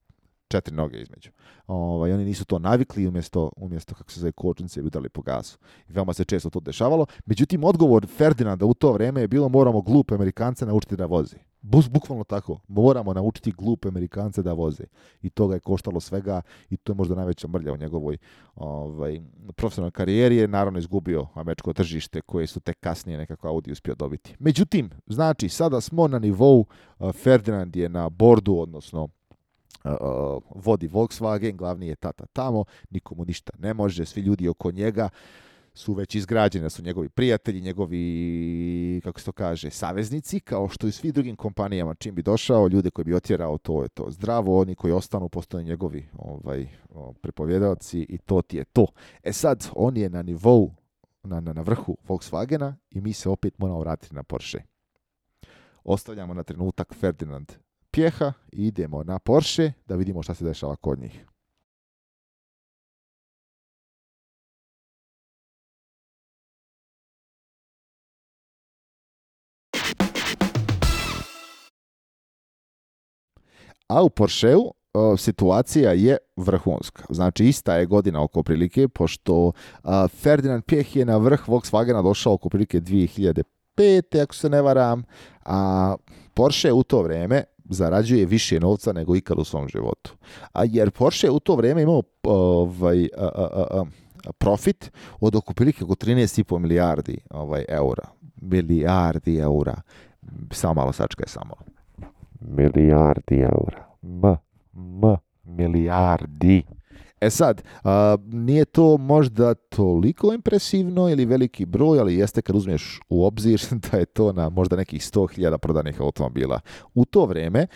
četiri noge između. Ovaj, oni nisu to navikli, umjesto, umjesto kako se zove kočnice, bi udali po gasu. I veoma se često to dešavalo. Međutim, odgovor Ferdinanda u to vrijeme je bilo moramo glupe Amerikance naučiti da voze. Bus, bukvalno tako. Moramo naučiti glupe Amerikance da voze. I to ga je koštalo svega i to je možda najveća mrlja u njegovoj ovaj, profesionalnoj karijeri. Je naravno izgubio američko tržište koje su tek kasnije nekako Audi uspio dobiti. Međutim, znači, sada smo na nivou, uh, Ferdinand je na bordu, odnosno Uh, vodi Volkswagen, glavni je tata tamo, nikomu ništa ne može, svi ljudi oko njega su već izgrađeni, da su njegovi prijatelji, njegovi, kako se to kaže, saveznici, kao što i svi drugim kompanijama, čim bi došao, ljude koji bi otjerao, to je to zdravo, oni koji ostanu postanu njegovi ovaj, prepovjedalci i to ti je to. E sad, on je na nivou, na, na, na vrhu Volkswagena i mi se opet moramo vratiti na Porsche. Ostavljamo na trenutak Ferdinand Pjeha i idemo na Porsche da vidimo šta se dešava kod njih. A u Porscheu uh, situacija je vrhunska. Znači ista je godina oko prilike, pošto uh, Ferdinand Pjeh je na vrh Volkswagena došao oko prilike dvije hiljade pete ako se ne varam, a Porsche u to vrijeme zarađuje više novca nego ikad u svom životu. A jer Porsche u to vrijeme imao ovaj, a, a, a, profit od oko prilike oko trinaest i po milijardi ovaj, eura. Milijardi eura. Samo malo sačkaj, samo. Milijardi eura. M, m, milijardi. E sad, a, nije to možda toliko impresivno ili veliki broj, ali jeste kad uzmeš u obzir da je to na možda nekih sto hiljada prodanih automobila. U to vrijeme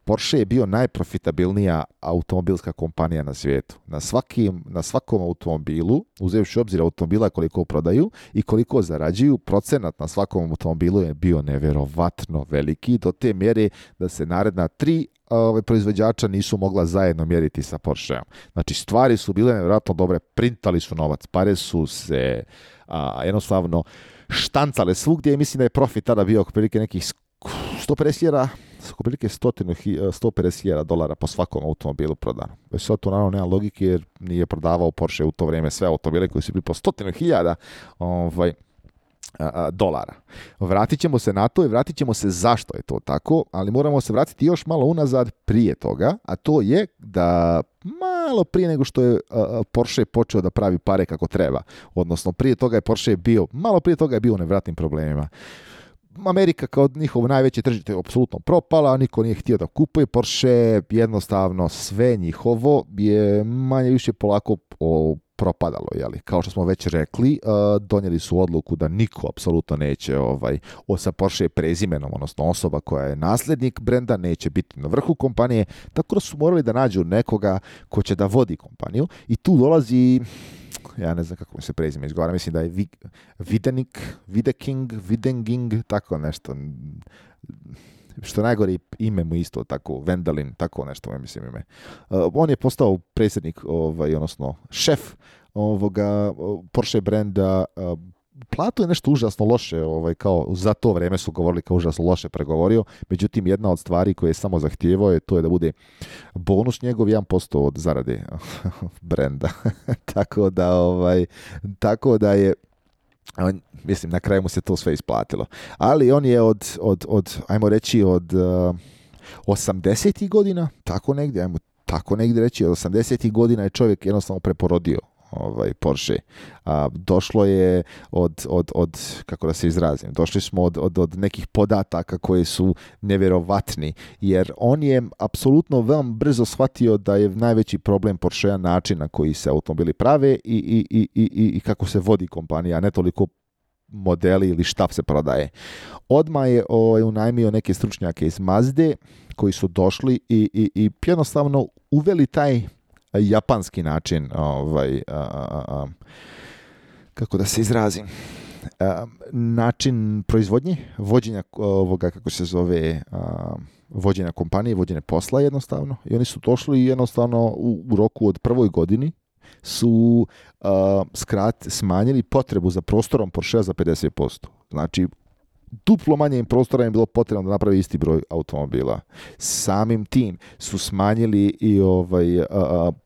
Porsche je bio najprofitabilnija automobilska kompanija na svijetu. Na, svakim, na svakom automobilu, uzevši u obzir automobila koliko prodaju i koliko zarađuju, procenat na svakom automobilu je bio nevjerovatno veliki, do te mjere da se naredna tri Ove, proizvođača nisu mogla zajedno mjeriti sa Porscheom. Znači, stvari su bile nevjerojatno dobre, printali su novac, pare su se a, jednostavno štancale svugdje i mislim da je profit tada bio oko prilike nekih sto pedeset hiljada oko prilike sto pedeset hiljada dolara po svakom automobilu prodano. Već sad to naravno nema logike jer nije prodavao Porsche u to vrijeme sve automobile koji su bili po stotinu hiljada ovaj, dolara. Vratit ćemo se na to i vratit ćemo se zašto je to tako, ali moramo se vratiti još malo unazad prije toga, a to je da malo prije nego što je Porsche počeo da pravi pare kako treba, odnosno prije toga je Porsche bio, malo prije toga je bio u nevratnim problemima. Amerika kao njihovo najveće tržište je apsolutno propala, niko nije htio da kupuje Porsche, jednostavno sve njihovo je manje više polako o, propadalo, jeli? Kao što smo već rekli, uh, donijeli su odluku da niko apsolutno neće ovaj, o sa Porsche prezimenom, odnosno osoba koja je nasljednik brenda, neće biti na vrhu kompanije, tako da su morali da nađu nekoga ko će da vodi kompaniju i tu dolazi, ja ne znam kako mi se prezime izgovara, mislim da je Videnik, Videking, Videnging, tako nešto. Što najgore ime mu isto, tako, Vendalin, tako nešto mu mislim ime. Uh, on je postao predsjednik, ovaj, odnosno šef ovoga Porsche brenda. Uh, Plato je nešto užasno loše, ovaj, kao za to vrijeme su govorili kao užasno loše pregovorio, međutim jedna od stvari koje je samo zahtijevao je to je da bude bonus njegov jedan posto od zarade brenda. tako da ovaj, tako da je on, mislim, na kraju mu se to sve isplatilo. Ali on je od, od, od ajmo reći, od uh, osamdesetih godina, tako negdje, ajmo tako negdje reći, od osamdesetih godina je čovjek jednostavno preporodio ovaj Porsche. A, došlo je od, od, od, kako da se izrazim, došli smo od, od, od nekih podataka koji su nevjerovatni, jer on je apsolutno veoma brzo shvatio da je najveći problem Porschea način na koji se automobili prave i, i, i, i, i kako se vodi kompanija, a ne toliko modeli ili šta se prodaje. Odmah je ovaj, unajmio neke stručnjake iz Mazde koji su došli i, i, i jednostavno uveli taj japanski način, ovaj, a, a, a, kako da se izrazim, a, način proizvodnje, vođenja ovoga, kako se zove, a, vođenja kompanije, vođenja posla jednostavno. I oni su došli i jednostavno u, u roku od prvoj godini su uh, skrat, smanjili potrebu za prostorom Porschea za pedeset posto. Znači, duplo manje im prostora im bilo potrebno da napravi isti broj automobila. Samim tim su smanjili i ovaj, uh,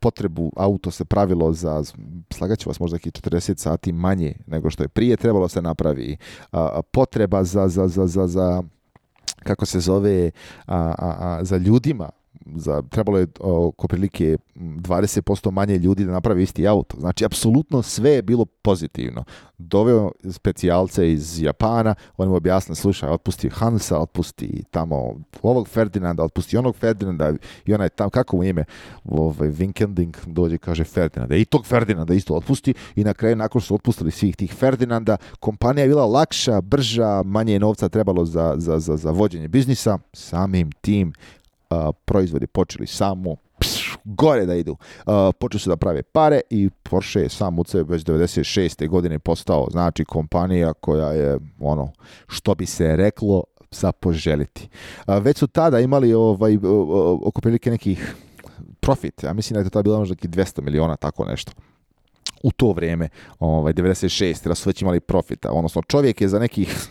potrebu, auto se pravilo za, slagat ću vas, možda četrdeset sati manje nego što je prije trebalo se napravi. Uh, potreba za, za, za, za, za kako se zove, a, a, a, za ljudima, za, trebalo je oko prilike dvadeset posto manje ljudi da napravi isti auto. Znači, apsolutno sve je bilo pozitivno. Doveo specijalce iz Japana, on mu objasnili, slušaj, otpusti Hansa, otpusti tamo ovog Ferdinanda, otpusti onog Ferdinanda i onaj tam, kako mu ime, ovaj, Winkending dođe i kaže Ferdinanda. I tog Ferdinanda isto otpusti i na kraju, nakon što su otpustili svih tih Ferdinanda, kompanija je bila lakša, brža, manje novca trebalo za, za, za, za vođenje biznisa. Samim tim Uh, proizvodi počeli samo pš, gore da idu. Uh, počeli su da prave pare i Porsche je sam od sebe već devedeset šeste godine postao, znači, kompanija koja je, ono, što bi se reklo, za poželiti. Uh, već su tada imali ovaj, uh, uh, oko prilike nekih profit. Ja mislim da je to tada bilo možda dvjesto miliona, tako nešto. U to vrijeme, ovaj, devedeset šeste da su već imali profita. Odnosno, čovjek je za nekih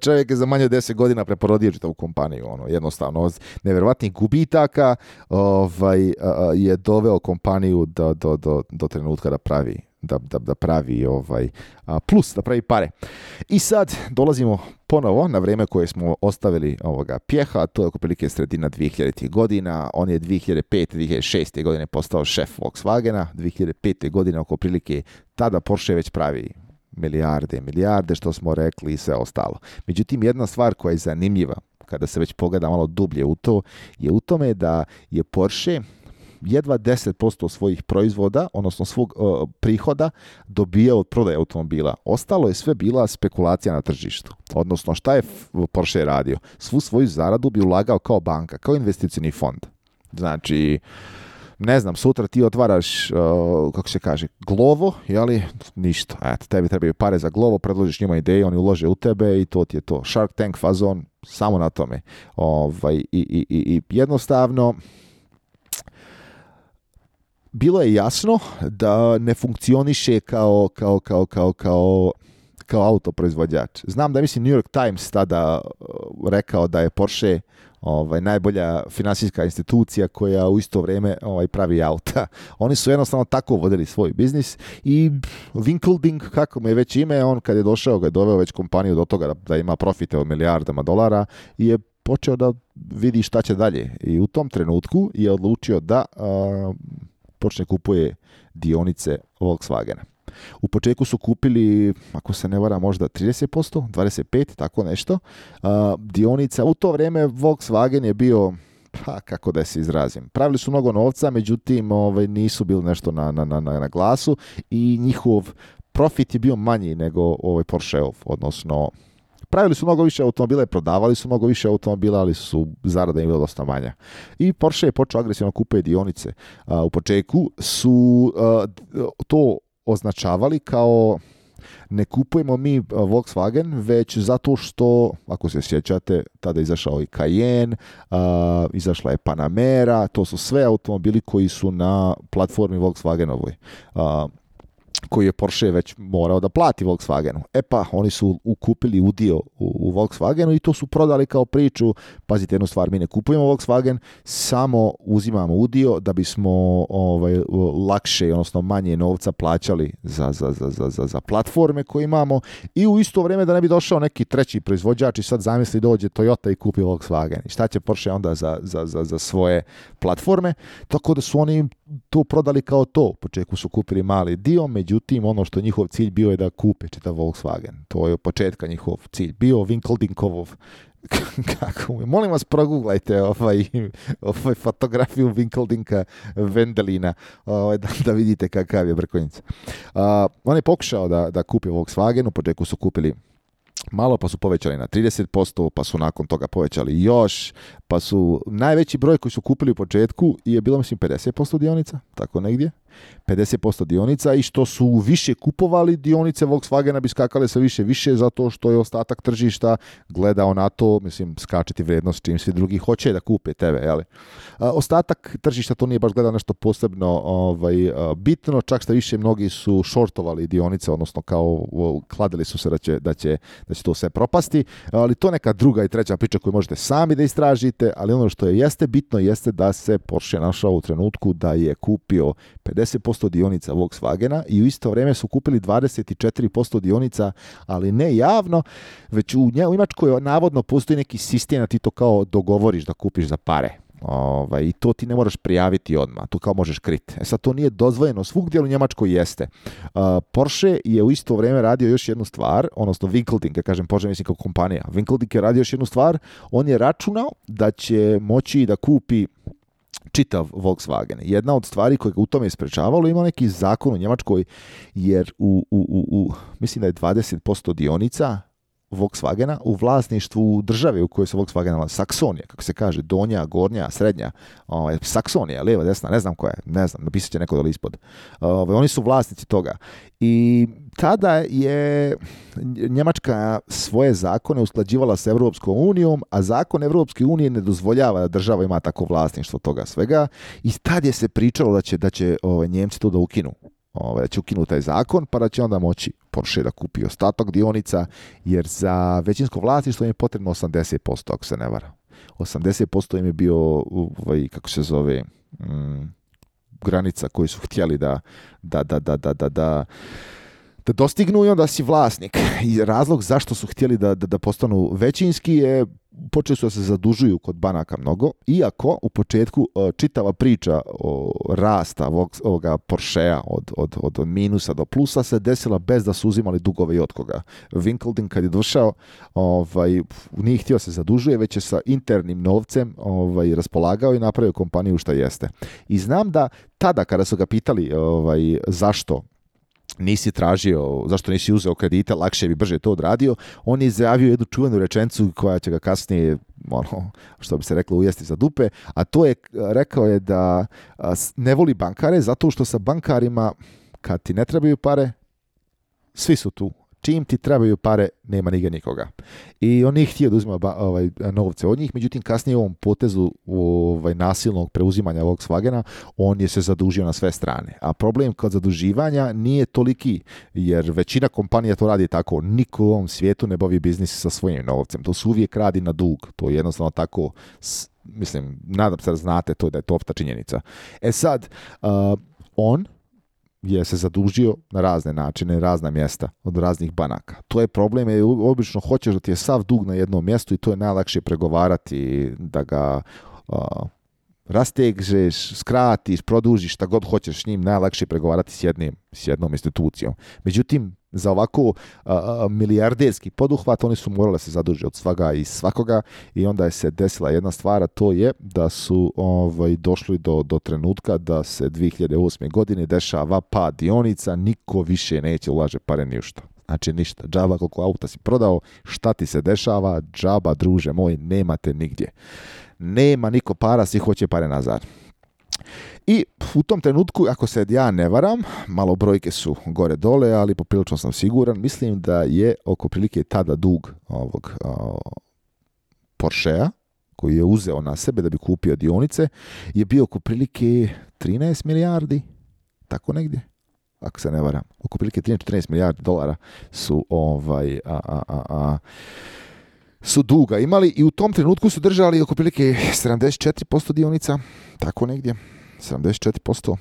čovjek je za manje od deset godina preporodio čitavu kompaniju. Ono, jednostavno, od nevjerovatnih gubitaka ovaj, je doveo kompaniju do, do, do, do trenutka da pravi da, da, da pravi ovaj, plus, da pravi pare. I sad dolazimo ponovo na vrijeme koje smo ostavili ovoga Pjeha, to je oko prilike sredina dvije hiljaditih godina, on je dvije hiljade pete dvije hiljade šeste godine postao šef Volkswagena, dvije hiljade pete godine oko prilike tada Porsche već pravi milijarde, milijarde, što smo rekli i sve ostalo. Međutim, jedna stvar koja je zanimljiva, kada se već pogleda malo dublje u to, je u tome da je Porsche jedva deset posto svojih proizvoda, odnosno svog uh, prihoda, dobija od prodaje automobila. Ostalo je sve bila spekulacija na tržištu. Odnosno, šta je Porsche radio? Svu svoju zaradu bi ulagao kao banka, kao investicioni fond. Znači, ne znam, sutra ti otvaraš, uh, kako se kaže, Glovo, jeli? Ništa. Eto, tebi trebaju pare za Glovo, predložiš njima ideju, oni ulože u tebe i to ti je to. Shark Tank fazon, samo na tome. Ovaj, i, i, i, i jednostavno, bilo je jasno da ne funkcioniše kao, kao, kao, kao, kao, kao autoproizvođač. Znam da mislim New York Times tada rekao da je Porsche ovaj, najbolja finansijska institucija koja u isto vrijeme ovaj, pravi auta. Oni su jednostavno tako vodili svoj biznis i Winkleding, kako mu je već ime, on kad je došao, ga je doveo već kompaniju do toga da, da ima profite od milijardama dolara i je počeo da vidi šta će dalje. I u tom trenutku je odlučio da a, počne kupuje dionice Volkswagena. U početku su kupili, ako se ne vara, možda trideset posto, dvadeset pet posto, tako nešto. Uh, dionica, u to vrijeme Volkswagen je bio, pa kako da se izrazim, pravili su mnogo novca, međutim ovaj, nisu bili nešto na, na, na, na glasu i njihov profit je bio manji nego ovaj Porscheov, odnosno pravili su mnogo više automobila, prodavali su mnogo više automobila, ali su zarada im bila dosta manja. I Porsche je počeo agresivno kupuje dionice. Uh, u početku su uh, to označavali kao ne kupujemo mi Volkswagen, već zato što, ako se sjećate, tada je izašao i Cayenne, uh, izašla je Panamera, to su sve automobili koji su na platformi Volkswagenovoj. Uh, koji je Porsche već morao da plati Volkswagenu. E pa, oni su ukupili udio u, u Volkswagenu i to su prodali kao priču. Pazite jednu stvar, mi ne kupujemo Volkswagen, samo uzimamo udio da bismo ovaj, lakše, odnosno manje novca plaćali za, za, za, za, za platforme koje imamo i u isto vrijeme da ne bi došao neki treći proizvođač i sad zamisli dođe Toyota i kupi Volkswagen. I šta će Porsche onda za, za, za, za svoje platforme? Tako da su oni to prodali kao to. U početku su kupili mali dio, međutim ono što njihov cilj bio je da kupe čitav Volkswagen. To je od početka njihov cilj bio. Winkeldinkov, kako mu je? Molim vas, proguglajte ovaj, ovaj fotografiju Winkeldinka Vendelina, ovaj, da, da vidite kakav je brkonjica. Uh, on je pokušao da, da kupi Volkswagen, u početku su kupili malo, pa su povećali na trideset posto, pa su nakon toga povećali još, pa su najveći broj koji su kupili u početku je bilo, mislim, pedeset posto dionica, tako negdje, pedeset posto dionica, i što su više kupovali dionice Volkswagena bi skakale sve više više, zato što je ostatak tržišta gledao na to, mislim, skačeti vrijednost čim svi drugi hoće da kupe tebe, jeli? A, ostatak tržišta to nije baš gledao nešto posebno ovaj, a, bitno, čak što više mnogi su shortovali dionice, odnosno kao o, kladili su se da će, da će, da će to sve propasti, ali to neka druga i treća priča koju možete sami da istražite, ali ono što je jeste bitno jeste da se Porsche našao u trenutku da je kupio pedeset posto dionica Volkswagena i u isto vrijeme su kupili dvadeset četiri posto dionica, ali ne javno, već u, nje, u Njemačkoj navodno postoji neki sistem da ti to kao dogovoriš da kupiš za pare. Ovaj, i to ti ne moraš prijaviti odmah, to kao možeš kriti. E sad, to nije dozvoljeno, svugdje u Njemačkoj jeste. Uh, Porsche je u isto vrijeme radio još jednu stvar, odnosno Winkeldink, ja kažem Porsche mislim kao kompanija, Winkeldink je radio još jednu stvar, on je računao da će moći da kupi čitav Volkswagen. Jedna od stvari koje ga u tome isprečavalo, ima neki zakon u Njemačkoj, jer u, u, u, u mislim da je dvadeset posto dionica Volkswagena u vlasništvu države u kojoj se Volkswagen nalazi, Saksonija, kako se kaže, donja, gornja, srednja, ovaj, Saksonija, lijeva, desna, ne znam koja je, ne znam, napisat će neko dole ispod. Ovaj, oni su vlasnici toga. I tada je Njemačka svoje zakone usklađivala s Europskom unijom, a zakon Europske unije ne dozvoljava da država ima tako vlasništvo toga svega, i tad je se pričalo da će, da će ovaj, Njemci to da ukinu. Ove, da će ukinuti taj zakon, pa da će onda moći Porsche da kupi ostatak dionica, jer za većinsko vlasništvo im je potrebno osamdeset posto, ako se ne vara. osamdeset posto im je bio, ovaj, kako se zove, mm, granica koju su htjeli da, da, da, da, da, da, da, da dostignu, i onda si vlasnik. I razlog zašto su htjeli da, da, da postanu većinski je, počeli su da se zadužuju kod banaka mnogo, iako u početku čitava priča o rasta ovoga Porschea od, od, od minusa do plusa se desila bez da su uzimali dugove i od koga. Winkeldink kad je došao, ovaj, nije htio se zadužuje, već je sa internim novcem ovaj, raspolagao i napravio kompaniju šta jeste. I znam da tada kada su ga pitali ovaj, zašto nisi tražio, zašto nisi uzeo kredite, lakše bi brže to odradio, on je izjavio jednu čuvenu rečenicu koja će ga kasnije, ono, što bi se reklo, ujesti za dupe, a to je, rekao je da ne voli bankare zato što sa bankarima, kad ti ne trebaju pare, svi su tu. Čim ti trebaju pare, nema nigdje nikoga. I on nije htio da uzima ovaj, novce od njih, međutim kasnije u ovom potezu ovaj, nasilnog preuzimanja Volkswagena, on je se zadužio na sve strane. A problem kod zaduživanja nije toliki, jer većina kompanija to radi tako. Niko u ovom svijetu ne bavi biznis sa svojim novcem. To su uvijek radi na dug. To je jednostavno tako, mislim, nadam se da znate to, da je to opta činjenica. E sad, uh, on je se zadužio na razne načine, razna mjesta, od raznih banaka. To je problem, jer obično hoćeš da ti je sav dug na jednom mjestu i to je najlakše pregovarati da ga uh, rastežeš, skratiš, produžiš, šta god hoćeš s njim, najlakše je pregovarati s, jednim, s jednom institucijom. Međutim, za ovako a, a, milijarderski poduhvat oni su morali se zadužiti od svaga i svakoga i onda je se desila jedna stvar, a to je da su ovaj, došli do, do trenutka da se dvije hiljade osme. godine dešava pad dionica, niko više neće ulaže pare ni u što. Znači ništa, džaba koliko auta si prodao, šta ti se dešava, džaba druže moj, nemate nigdje. Nema niko para, svi hoće pare nazad. I u tom trenutku, ako se ja ne varam, malo brojke su gore dole, ali poprilično sam siguran, mislim da je oko prilike tada dug ovog uh, Porschea, koji je uzeo na sebe da bi kupio dionice, je bio oko prilike trinaest milijardi, tako negdje, ako se ne varam. Oko prilike trinaest četrnaest milijardi dolara su ovaj... A, a, a, a, su duga imali i u tom trenutku su držali oko prilike sedamdeset četiri posto dionica, tako negdje, sedamdeset četiri posto.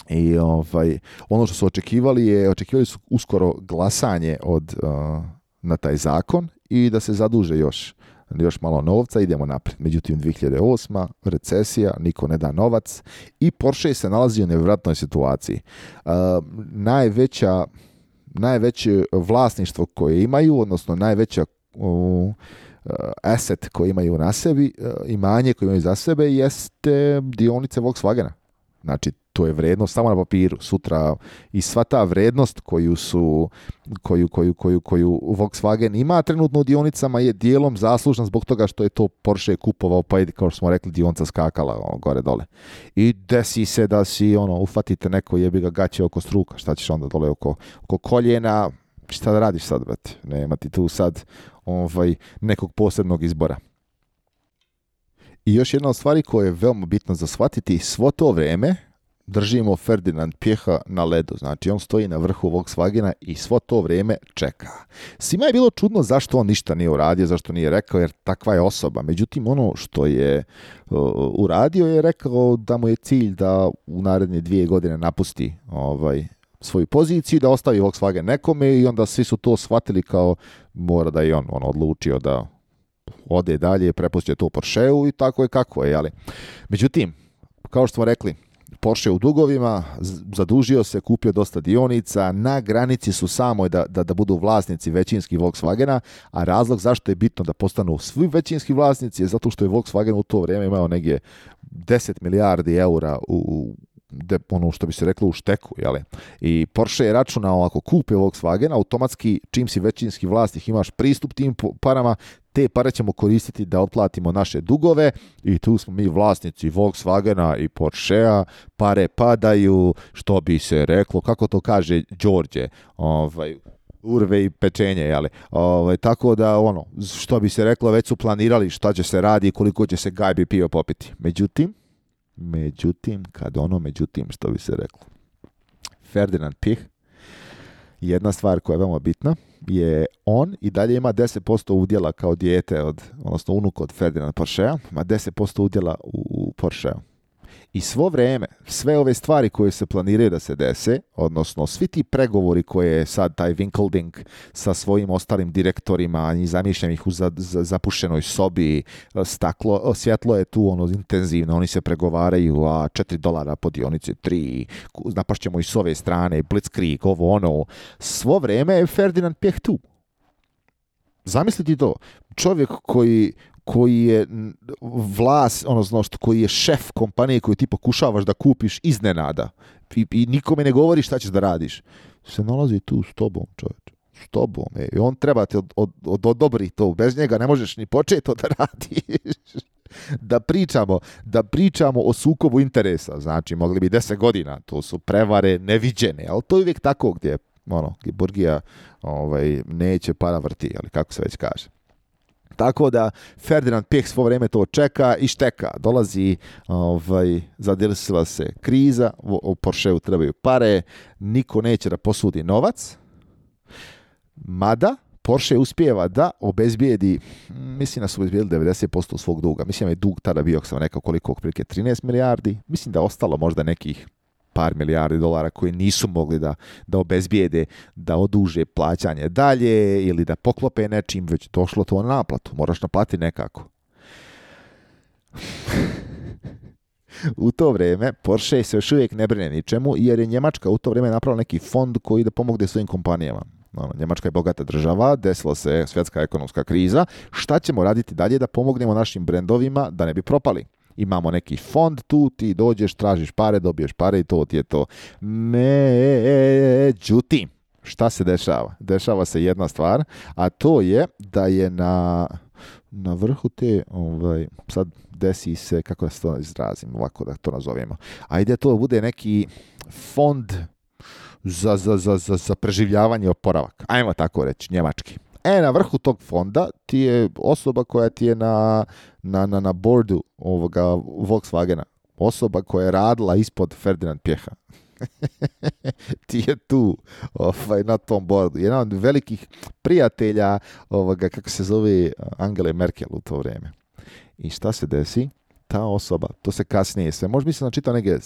I ovaj, ono što su očekivali je, očekivali su uskoro glasanje od, uh, na taj zakon i da se zaduže još, još malo novca, idemo naprijed. Međutim, dvije hiljade osma. recesija, niko ne da novac i Porsche se nalazi u nevjerojatnoj situaciji. Uh, najveća, najveće vlasništvo koje imaju, odnosno najveća u uh, asset koji imaju na sebi, uh, imanje koje imaju za sebe jeste dionice Volkswagena. Znači, to je vrednost samo na papiru. Sutra i sva ta vrednost koju su koju, koju, koju, koju Volkswagen ima trenutno u dionicama je dijelom zaslužna zbog toga što je to Porsche kupovao, pa je, kao što smo rekli, dionica skakala ono, gore dole. I desi se da si, ono, ufatite neko jebi ga gaće oko struka. Šta ćeš onda dole oko, oko koljena? Šta da radiš sad, brate? Nema ti tu sad ovaj, nekog posebnog izbora. I još jedna od stvari koja je veoma bitna za shvatiti, svo to vrijeme držimo Ferdinand Piecha na ledu. Znači, on stoji na vrhu Volkswagena i svo to vrijeme čeka. Svima je bilo čudno zašto on ništa nije uradio, zašto nije rekao, jer takva je osoba. Međutim, ono što je uh, uradio je rekao da mu je cilj da u naredne dvije godine napusti ovaj, svoju poziciju, da ostavi Volkswagen nekome i onda svi su to shvatili kao mora da je on, on odlučio da ode dalje, prepustio to Porscheu i tako je kako je. Ali. Međutim, kao što smo rekli, Porsche u dugovima, zadužio se, kupio dosta dionica, na granici su samo da, da, da budu vlasnici većinski Volkswagena, a razlog zašto je bitno da postanu svi većinski vlasnici je zato što je Volkswagen u to vrijeme imao negdje deset milijardi eura u de, ono što bi se reklo u šteku, jeli? I Porsche je računao ako kupe Volkswagen, automatski čim si većinski vlasnik imaš pristup tim parama, te pare ćemo koristiti da otplatimo naše dugove i tu smo mi vlasnici Volkswagena i Porschea, pare padaju, što bi se reklo, kako to kaže Đorđe, ovaj, urve i pečenje, jeli? Ovaj, tako da, ono, što bi se reklo, već su planirali šta će se radi i koliko će se gajbi pio popiti. Međutim, Međutim, kad ono, međutim, što bi se reklo, Ferdinand Piech, jedna stvar koja je veoma bitna, je on i dalje ima deset posto udjela kao dijete, od, odnosno unuk od Ferdinand Porschea, ima deset posto udjela u, u Porscheu. I svo vrijeme, sve ove stvari koje se planiraju da se dese, odnosno svi ti pregovori koje je sad taj Winkelding sa svojim ostalim direktorima i zamišljam ih u za, za, zapušenoj sobi, staklo, svjetlo je tu ono intenzivno, oni se pregovaraju, a četiri dolara po dionici, tri, napašćemo i s ove strane, Blitzkrieg, ovo ono, svo vrijeme je Ferdinand Piech tu. Zamisliti to, čovjek koji koji je vlas, odnosno koji je šef kompanije koju ti pokušavaš da kupiš iznenada i, i nikome ne govori šta ćeš da radiš, se nalazi tu s tobom, čovječ, s tobom, e. I on treba ti od, od, od, odobri to, bez njega ne možeš ni početi to da radiš. Da pričamo, da pričamo o sukobu interesa, znači mogli bi deset godina, to su prevare neviđene, ali to je uvijek tako gdje, ono, gdje Burgija ovaj, neće para vrti, ali kako se već kaže. Tako da Ferdinand Piech svo vrijeme to čeka i šteka. Dolazi, ovaj, zadesila se kriza, u Porscheu trebaju pare, niko neće da posudi novac, mada Porsche uspijeva da obezbijedi, mislim da su obezbijedili devedeset posto svog duga. Mislim da je dug tada bio, sam rekao koliko, otprilike trinaest milijardi. Mislim da je ostalo možda nekih par milijardi dolara koji nisu mogli da, da obezbijede, da oduže plaćanje dalje ili da poklope nečim, već došlo to na naplatu. Moraš naplatiti nekako. u to vrijeme Porsche se još uvijek ne brine ničemu, jer je Njemačka u to vrijeme napravila neki fond koji da pomogne svojim kompanijama. Ono, Njemačka je bogata država, desila se svjetska ekonomska kriza. Šta ćemo raditi dalje da pomognemo našim brendovima da ne bi propali? Imamo neki fond tu, ti dođeš, tražiš pare, dobiješ pare i to ti je to. Međutim, šta se dešava? Dešava se jedna stvar, a to je da je na, na vrhu te, ovaj, sad desi se, kako da se to izrazim, ovako da to nazovemo. Ajde, to bude neki fond za, za, za, za, za preživljavanje i oporavak. Ajmo tako reći, njemački. E, na vrhu tog fonda ti je osoba koja ti je na, na, na, na boardu ovoga Volkswagena. Osoba koja je radila ispod Ferdinand Piecha. Ti je tu ovaj, na tom boardu. Jedan od velikih prijatelja ovoga, kako se zove, Angele Merkel u to vrijeme. I šta se desi? Ta osoba, to se kasnije se, možda mislim da čitao neki uh,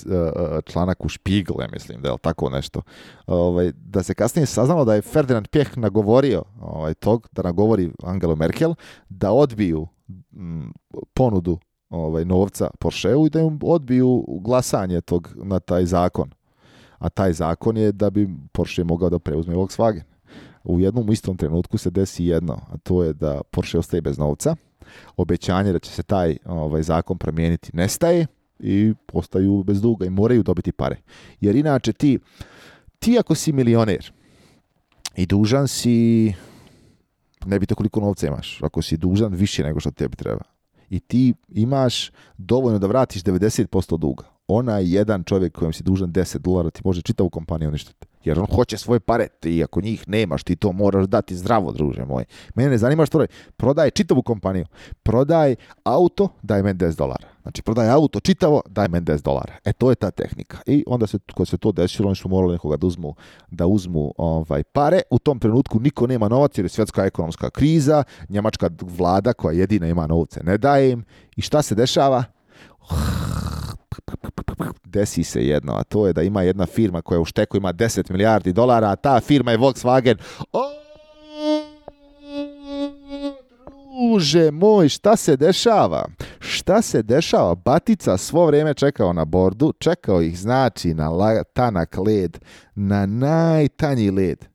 članak u Spiegel, ja mislim, da je tako nešto, ovaj, da se kasnije saznalo da je Ferdinand Piech nagovorio ovaj, tog, da nagovori Angelu Merkel, da odbiju m, ponudu ovaj, novca Porscheu i da im odbiju glasanje tog na taj zakon. A taj zakon je da bi Porsche mogao da preuzme Volkswagen. U jednom istom trenutku se desi jedno, a to je da Porsche ostaje bez novca. Obećanje da će se taj ovaj, zakon promijeniti nestaje i postaju bez duga i moraju dobiti pare. Jer inače ti, ti ako si milioner i dužan si, ne bite koliko novca imaš, ako si dužan više nego što tebi treba i ti imaš dovoljno da vratiš devedeset posto duga, onaj jedan čovjek kojem si dužan deset dolara ti može čitavu kompaniju uništiti. Jer on hoće svoje pare i ako njih nemaš, ti to moraš dati zdravo, druže moj. Mene ne zanima što radi. Prodaj čitavu kompaniju. Prodaj auto, daj meni deset dolara. Znači, prodaj auto čitavo, daj meni deset dolara. E, to je ta tehnika. I onda se, kad se to desilo, oni su morali nekoga da uzmu, da uzmu ovaj, pare. U tom trenutku niko nema novac jer je svjetska ekonomska kriza. Njemačka vlada koja jedina ima novce ne daje im. I šta se dešava? Desi se jedno, a to je da ima jedna firma koja u šteku ima deset milijardi dolara, a ta firma je Volkswagen. O, druže moj, šta se dešava? Šta se dešava? Batica svo vrijeme čekao na bordu, čekao ih znači na la, tanak led, na najtanji led.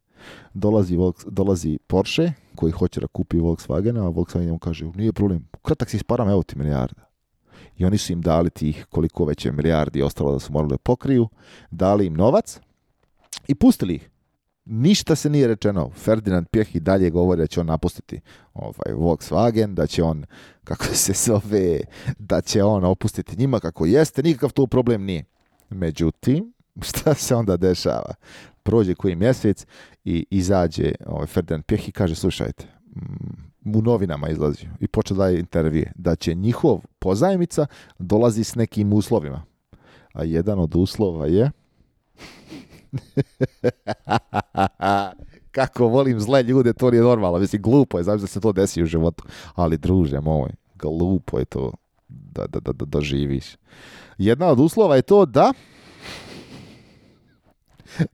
Dolazi, dolazi Porsche koji hoće da kupi Volkswagena, a Volkswagen mu kaže, nije problem, kratak si s parama, evo ti milijarda. I oni su im dali tih koliko već je milijardi ostalo da su morali da pokriju, dali im novac i pustili ih. Ništa se nije rečeno. Ferdinand Piech i dalje govori da će on napustiti ovaj, Volkswagen, da će on, kako se zove, da će on opustiti njima kako jeste, nikakav to problem nije. Međutim, šta se onda dešava? Prođe koji mjesec i izađe ovaj, Ferdinand Piech i kaže, slušajte, u novinama izlazi i počeo daje intervjue da će njihov pozajmica dolazi s nekim uslovima. A jedan od uslova je kako volim zle ljude, to nije normalno. Mislim, glupo je, znaš da se to desi u životu. Ali druže moj, glupo je to da, da, da, da, da živiš. Jedna od uslova je to da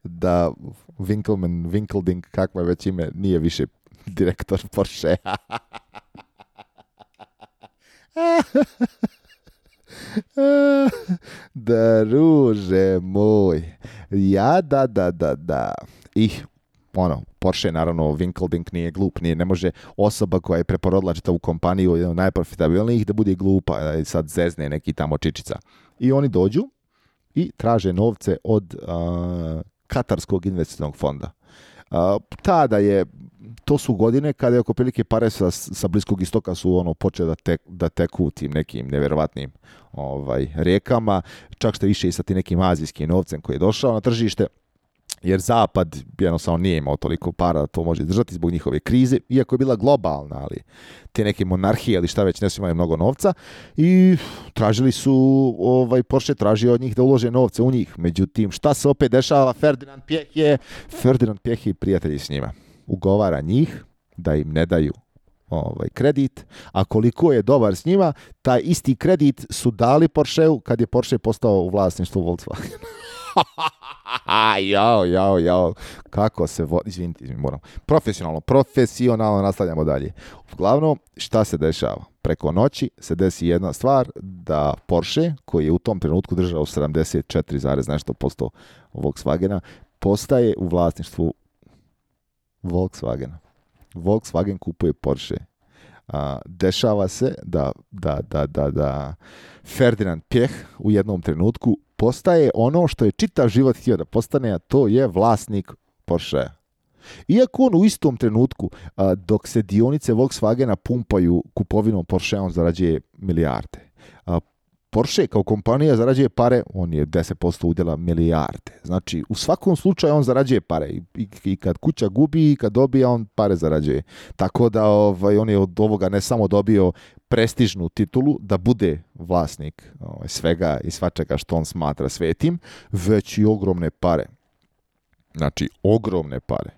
da Winkelman, Winkelding, kakva je već ime, nije više direktor Porsche. Druže moj. Ja, da, da, da, da. I, ono, Porsche, naravno, Winkelding nije glup, nije, ne može osoba koja je preporodila čitavu kompaniju, jedan od najprofitabilnijih, da bude glupa, da sad zezne neki tamo čičica. I oni dođu i traže novce od uh, Katarskog investicionog fonda. Uh, tada je, to su godine kada je oko prilike pare sa, sa Bliskog istoka su ono počeli da, tek, da teku tim nekim nevjerovatnim ovaj, rijekama, čak što više i sa tim nekim azijskim novcem koji je došao na tržište, jer Zapad jednostavno nije imao toliko para da to može izdržati zbog njihove krize, iako je bila globalna, ali te neke monarhije ili šta već ne su imali mnogo novca i tražili su, ovaj, Porsche tražio od njih da ulože novce u njih. Međutim, šta se opet dešava? Ferdinand Piech je, Ferdinand Piech i prijatelji s njima. Ugovara njih da im ne daju ovaj, kredit, a koliko je dobar s njima, taj isti kredit su dali Porscheu kad je Porsche postao u vlasništvu Volkswagen. jao, jao, jao, kako se vo... Izvinite, izvinite, moram. Profesionalno, profesionalno nastavljamo dalje. Uglavnom, šta se dešava? preko noći se desi jedna stvar, da Porsche, koji je u tom trenutku držao sedamdeset četiri zarez nešto posto Volkswagena, postaje u vlasništvu Volkswagena. Volkswagen kupuje Porsche. A, dešava se da, da, da, da, da Ferdinand Piech u jednom trenutku postaje ono što je čitav život htio da postane, a to je vlasnik Porschea. Iako on u istom trenutku, a, dok se dionice Volkswagena pumpaju kupovinom Porschea, on zarađuje milijarde. A, Porsche kao kompanija zarađuje pare, on je deset posto udjela milijarde. Znači, u svakom slučaju on zarađuje pare. I, i, i kad kuća gubi, i kad dobija, on pare zarađuje. Tako da ovaj, on je od ovoga ne samo dobio prestižnu titulu da bude vlasnik ovaj, svega i svačega što on smatra svetim, već i ogromne pare. Znači, ogromne pare.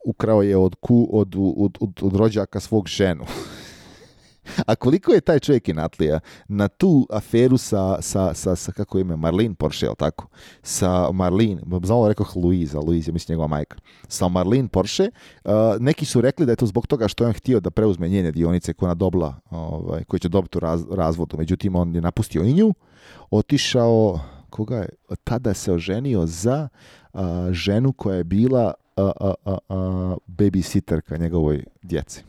Ukrao je od, ku, od, od, od, od rođaka svog ženu. A koliko je taj čovjek inatlija na tu aferu sa, sa, sa, sa kako ime, Marlene Porsche, jel tako? Sa Marlene, znamo rekao Louise, Louise je mislim njegova majka. Sa Marlene Porsche, uh, neki su rekli da je to zbog toga što je on htio da preuzme njene dionice koje ona dobila, ovaj, koje će dobiti u raz, razvodu. Međutim, on je napustio i nju, otišao, koga je, tada se oženio za uh, ženu koja je bila uh, uh, uh, uh, babysitterka njegovoj djeci.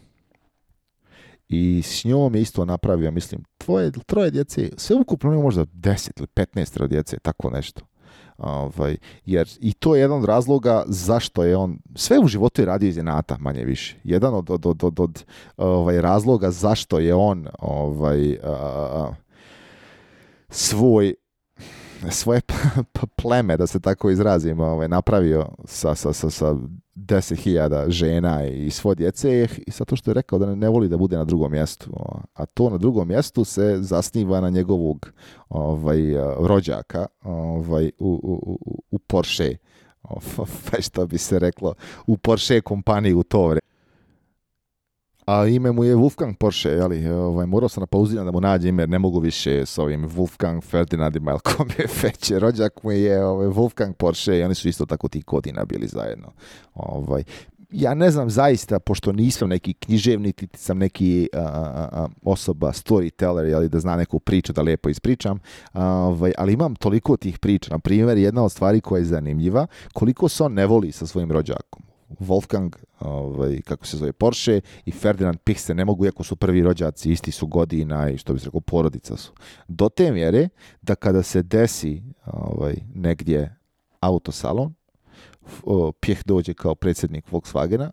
I s njom je isto napravio, mislim, tvoje, troje djece, sve ukupno nema možda deset ili petnaest djece, tako nešto. Ovaj, jer i to je jedan od razloga zašto je on, sve u životu je radio iz inata, manje više. Jedan od, od, od, od, od ovaj, razloga zašto je on ovaj, a, svoj svoje pleme, da se tako izrazim, ovaj, napravio sa, sa, sa, sa deset hiljada žena i svo djece i zato što je rekao da ne, ne voli da bude na drugom mjestu. A to na drugom mjestu se zasniva na njegovog ovaj, rođaka ovaj, u, u, u Porsche. Ovaj, što bi se reklo, u Porsche kompaniji u to vrijeme. A ime mu je Wolfgang Porsche, jeli? Ovaj, morao sam na pauziram da mu nađe ime, jer ne mogu više s ovim Wolfgang Ferdinandima, ili kom je feće. Rođak mu je ovaj, Wolfgang Porsche i oni su isto tako tih godina bili zajedno. Ovaj, ja ne znam zaista, pošto nisam neki književnik, niti sam neki a, a, osoba, storyteller, jeli, da zna neku priču, da lijepo ispričam, a, ovaj, ali imam toliko tih priča. Na primjer, jedna od stvari koja je zanimljiva, koliko se on ne voli sa svojim rođakom. Wolfgang, ovaj, kako se zove, Porsche i Ferdinand Piech se ne mogu, iako su prvi rođaci, isti su godina i što bi se rekao, porodica su. Do te mjere da kada se desi ovaj, negdje autosalon, Piech dođe kao predsjednik Volkswagena,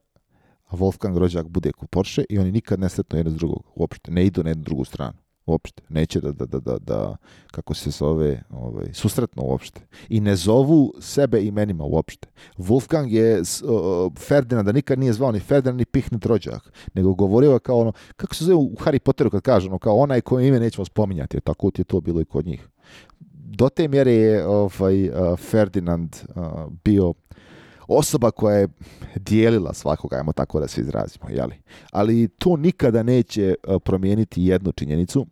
a Wolfgang rođak bude kod Porsche i oni nikad ne sretnu jedno s drugog, uopšte, ne idu na jednu drugu stranu. Uopšte, neće da, da, da, da, da kako se zove, ovaj, susretno uopšte. I ne zovu sebe imenima uopšte. Wolfgang je uh, Ferdinanda nikad nije zvao ni Ferdinand ni Piech ni rođak, nego govorio je kao ono, kako se zove u Harry Potteru kad kaže ono, kao onaj koje ime nećemo spominjati, tako ti je to bilo i kod njih. Do te mjere je ovaj, uh, Ferdinand uh, bio osoba koja je dijelila svakoga, ajmo tako da se izrazimo, jeli? Ali to nikada neće promijeniti jednu činjenicu,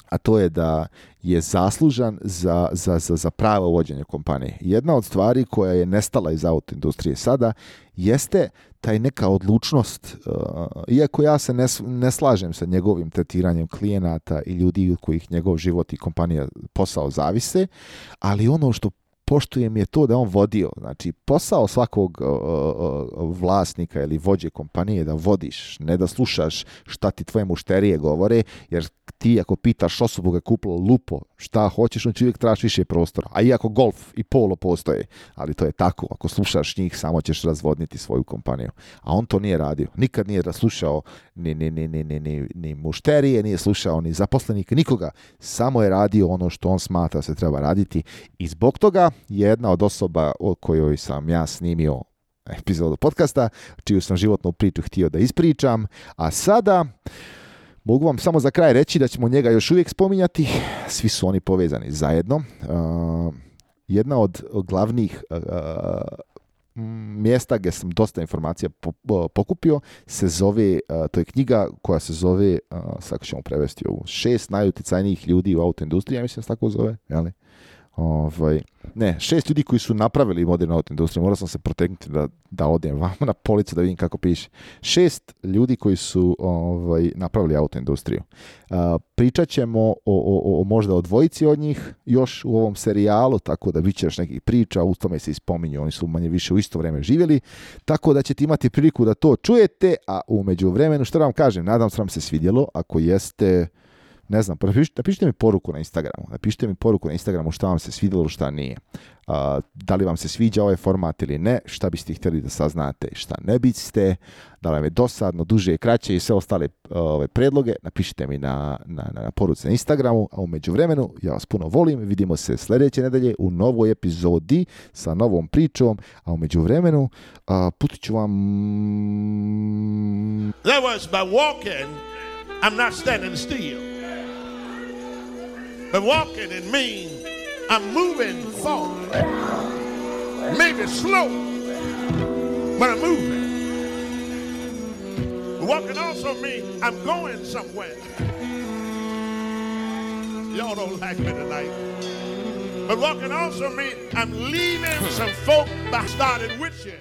a to je da je zaslužan za, za, za, za pravo vođenje kompanije. Jedna od stvari koja je nestala iz autoindustrije sada jeste taj neka odlučnost, uh, iako ja se ne, ne slažem sa njegovim tretiranjem klijenata i ljudi od kojih njegov život i kompanija posao zavise, ali ono što poštujem je to da on vodio. Znači, posao svakog uh, uh, vlasnika ili vođe kompanije da vodiš, ne da slušaš šta ti tvoje mušterije govore, jer ti ako pitaš osobu ga kupilo lupo, šta hoćeš, on će uvijek traži više prostora. A iako golf i polo postoje, ali to je tako. Ako slušaš njih, samo ćeš razvodniti svoju kompaniju. A on to nije radio. Nikad nije slušao ni, ni, ni, ni, ni, ni mušterije, nije slušao ni zaposlenike, nikoga. Samo je radio ono što on smatra se treba raditi. I zbog toga jedna od osoba o kojoj sam ja snimio epizodu podcasta, čiju sam životnu priču htio da ispričam, a sada mogu vam samo za kraj reći da ćemo njega još uvijek spominjati, svi su oni povezani zajedno. Uh, jedna od glavnih uh, mjesta gdje sam dosta informacija po, pokupio se zove, uh, to je knjiga koja se zove, uh, sad ćemo prevesti ovu, šest najuticajnijih ljudi u autoindustriji, ja mislim da se tako zove, jeli? Ovaj, ne, šest ljudi koji su napravili modernu auto industriju, morao sam se protegnuti da, da odem vamo na policu da vidim kako piše. Šest ljudi koji su ovaj, napravili auto industriju. Uh, pričat ćemo o, o, o možda o dvojici od njih još u ovom serijalu, tako da bit će još nekih priča, u tome se ispominju, oni su manje više u isto vrijeme živjeli, tako da ćete imati priliku da to čujete, a u međuvremenu, što da vam kažem, nadam se da vam se svidjelo, ako jeste, ne znam, napišite, napišite mi poruku na Instagramu, napišite mi poruku na Instagramu šta vam se svidjelo, šta nije. Uh, da li vam se sviđa ovaj format ili ne, šta biste htjeli da saznate i šta ne biste, da li vam je dosadno, duže i kraće i sve ostale uh, ove predloge, napišite mi na, na, na, na poruci na Instagramu, a u međuvremenu ja vas puno volim, vidimo se sljedeće nedelje u novoj epizodi sa novom pričom, a u međuvremenu uh, putit ću vam... That was by walking, I'm not standing still. But walking it means I'm moving forward. Maybe slow, but I'm moving. Walking also means I'm going somewhere. Y'all don't like me tonight. But walking also means I'm leaving some folk that started with you.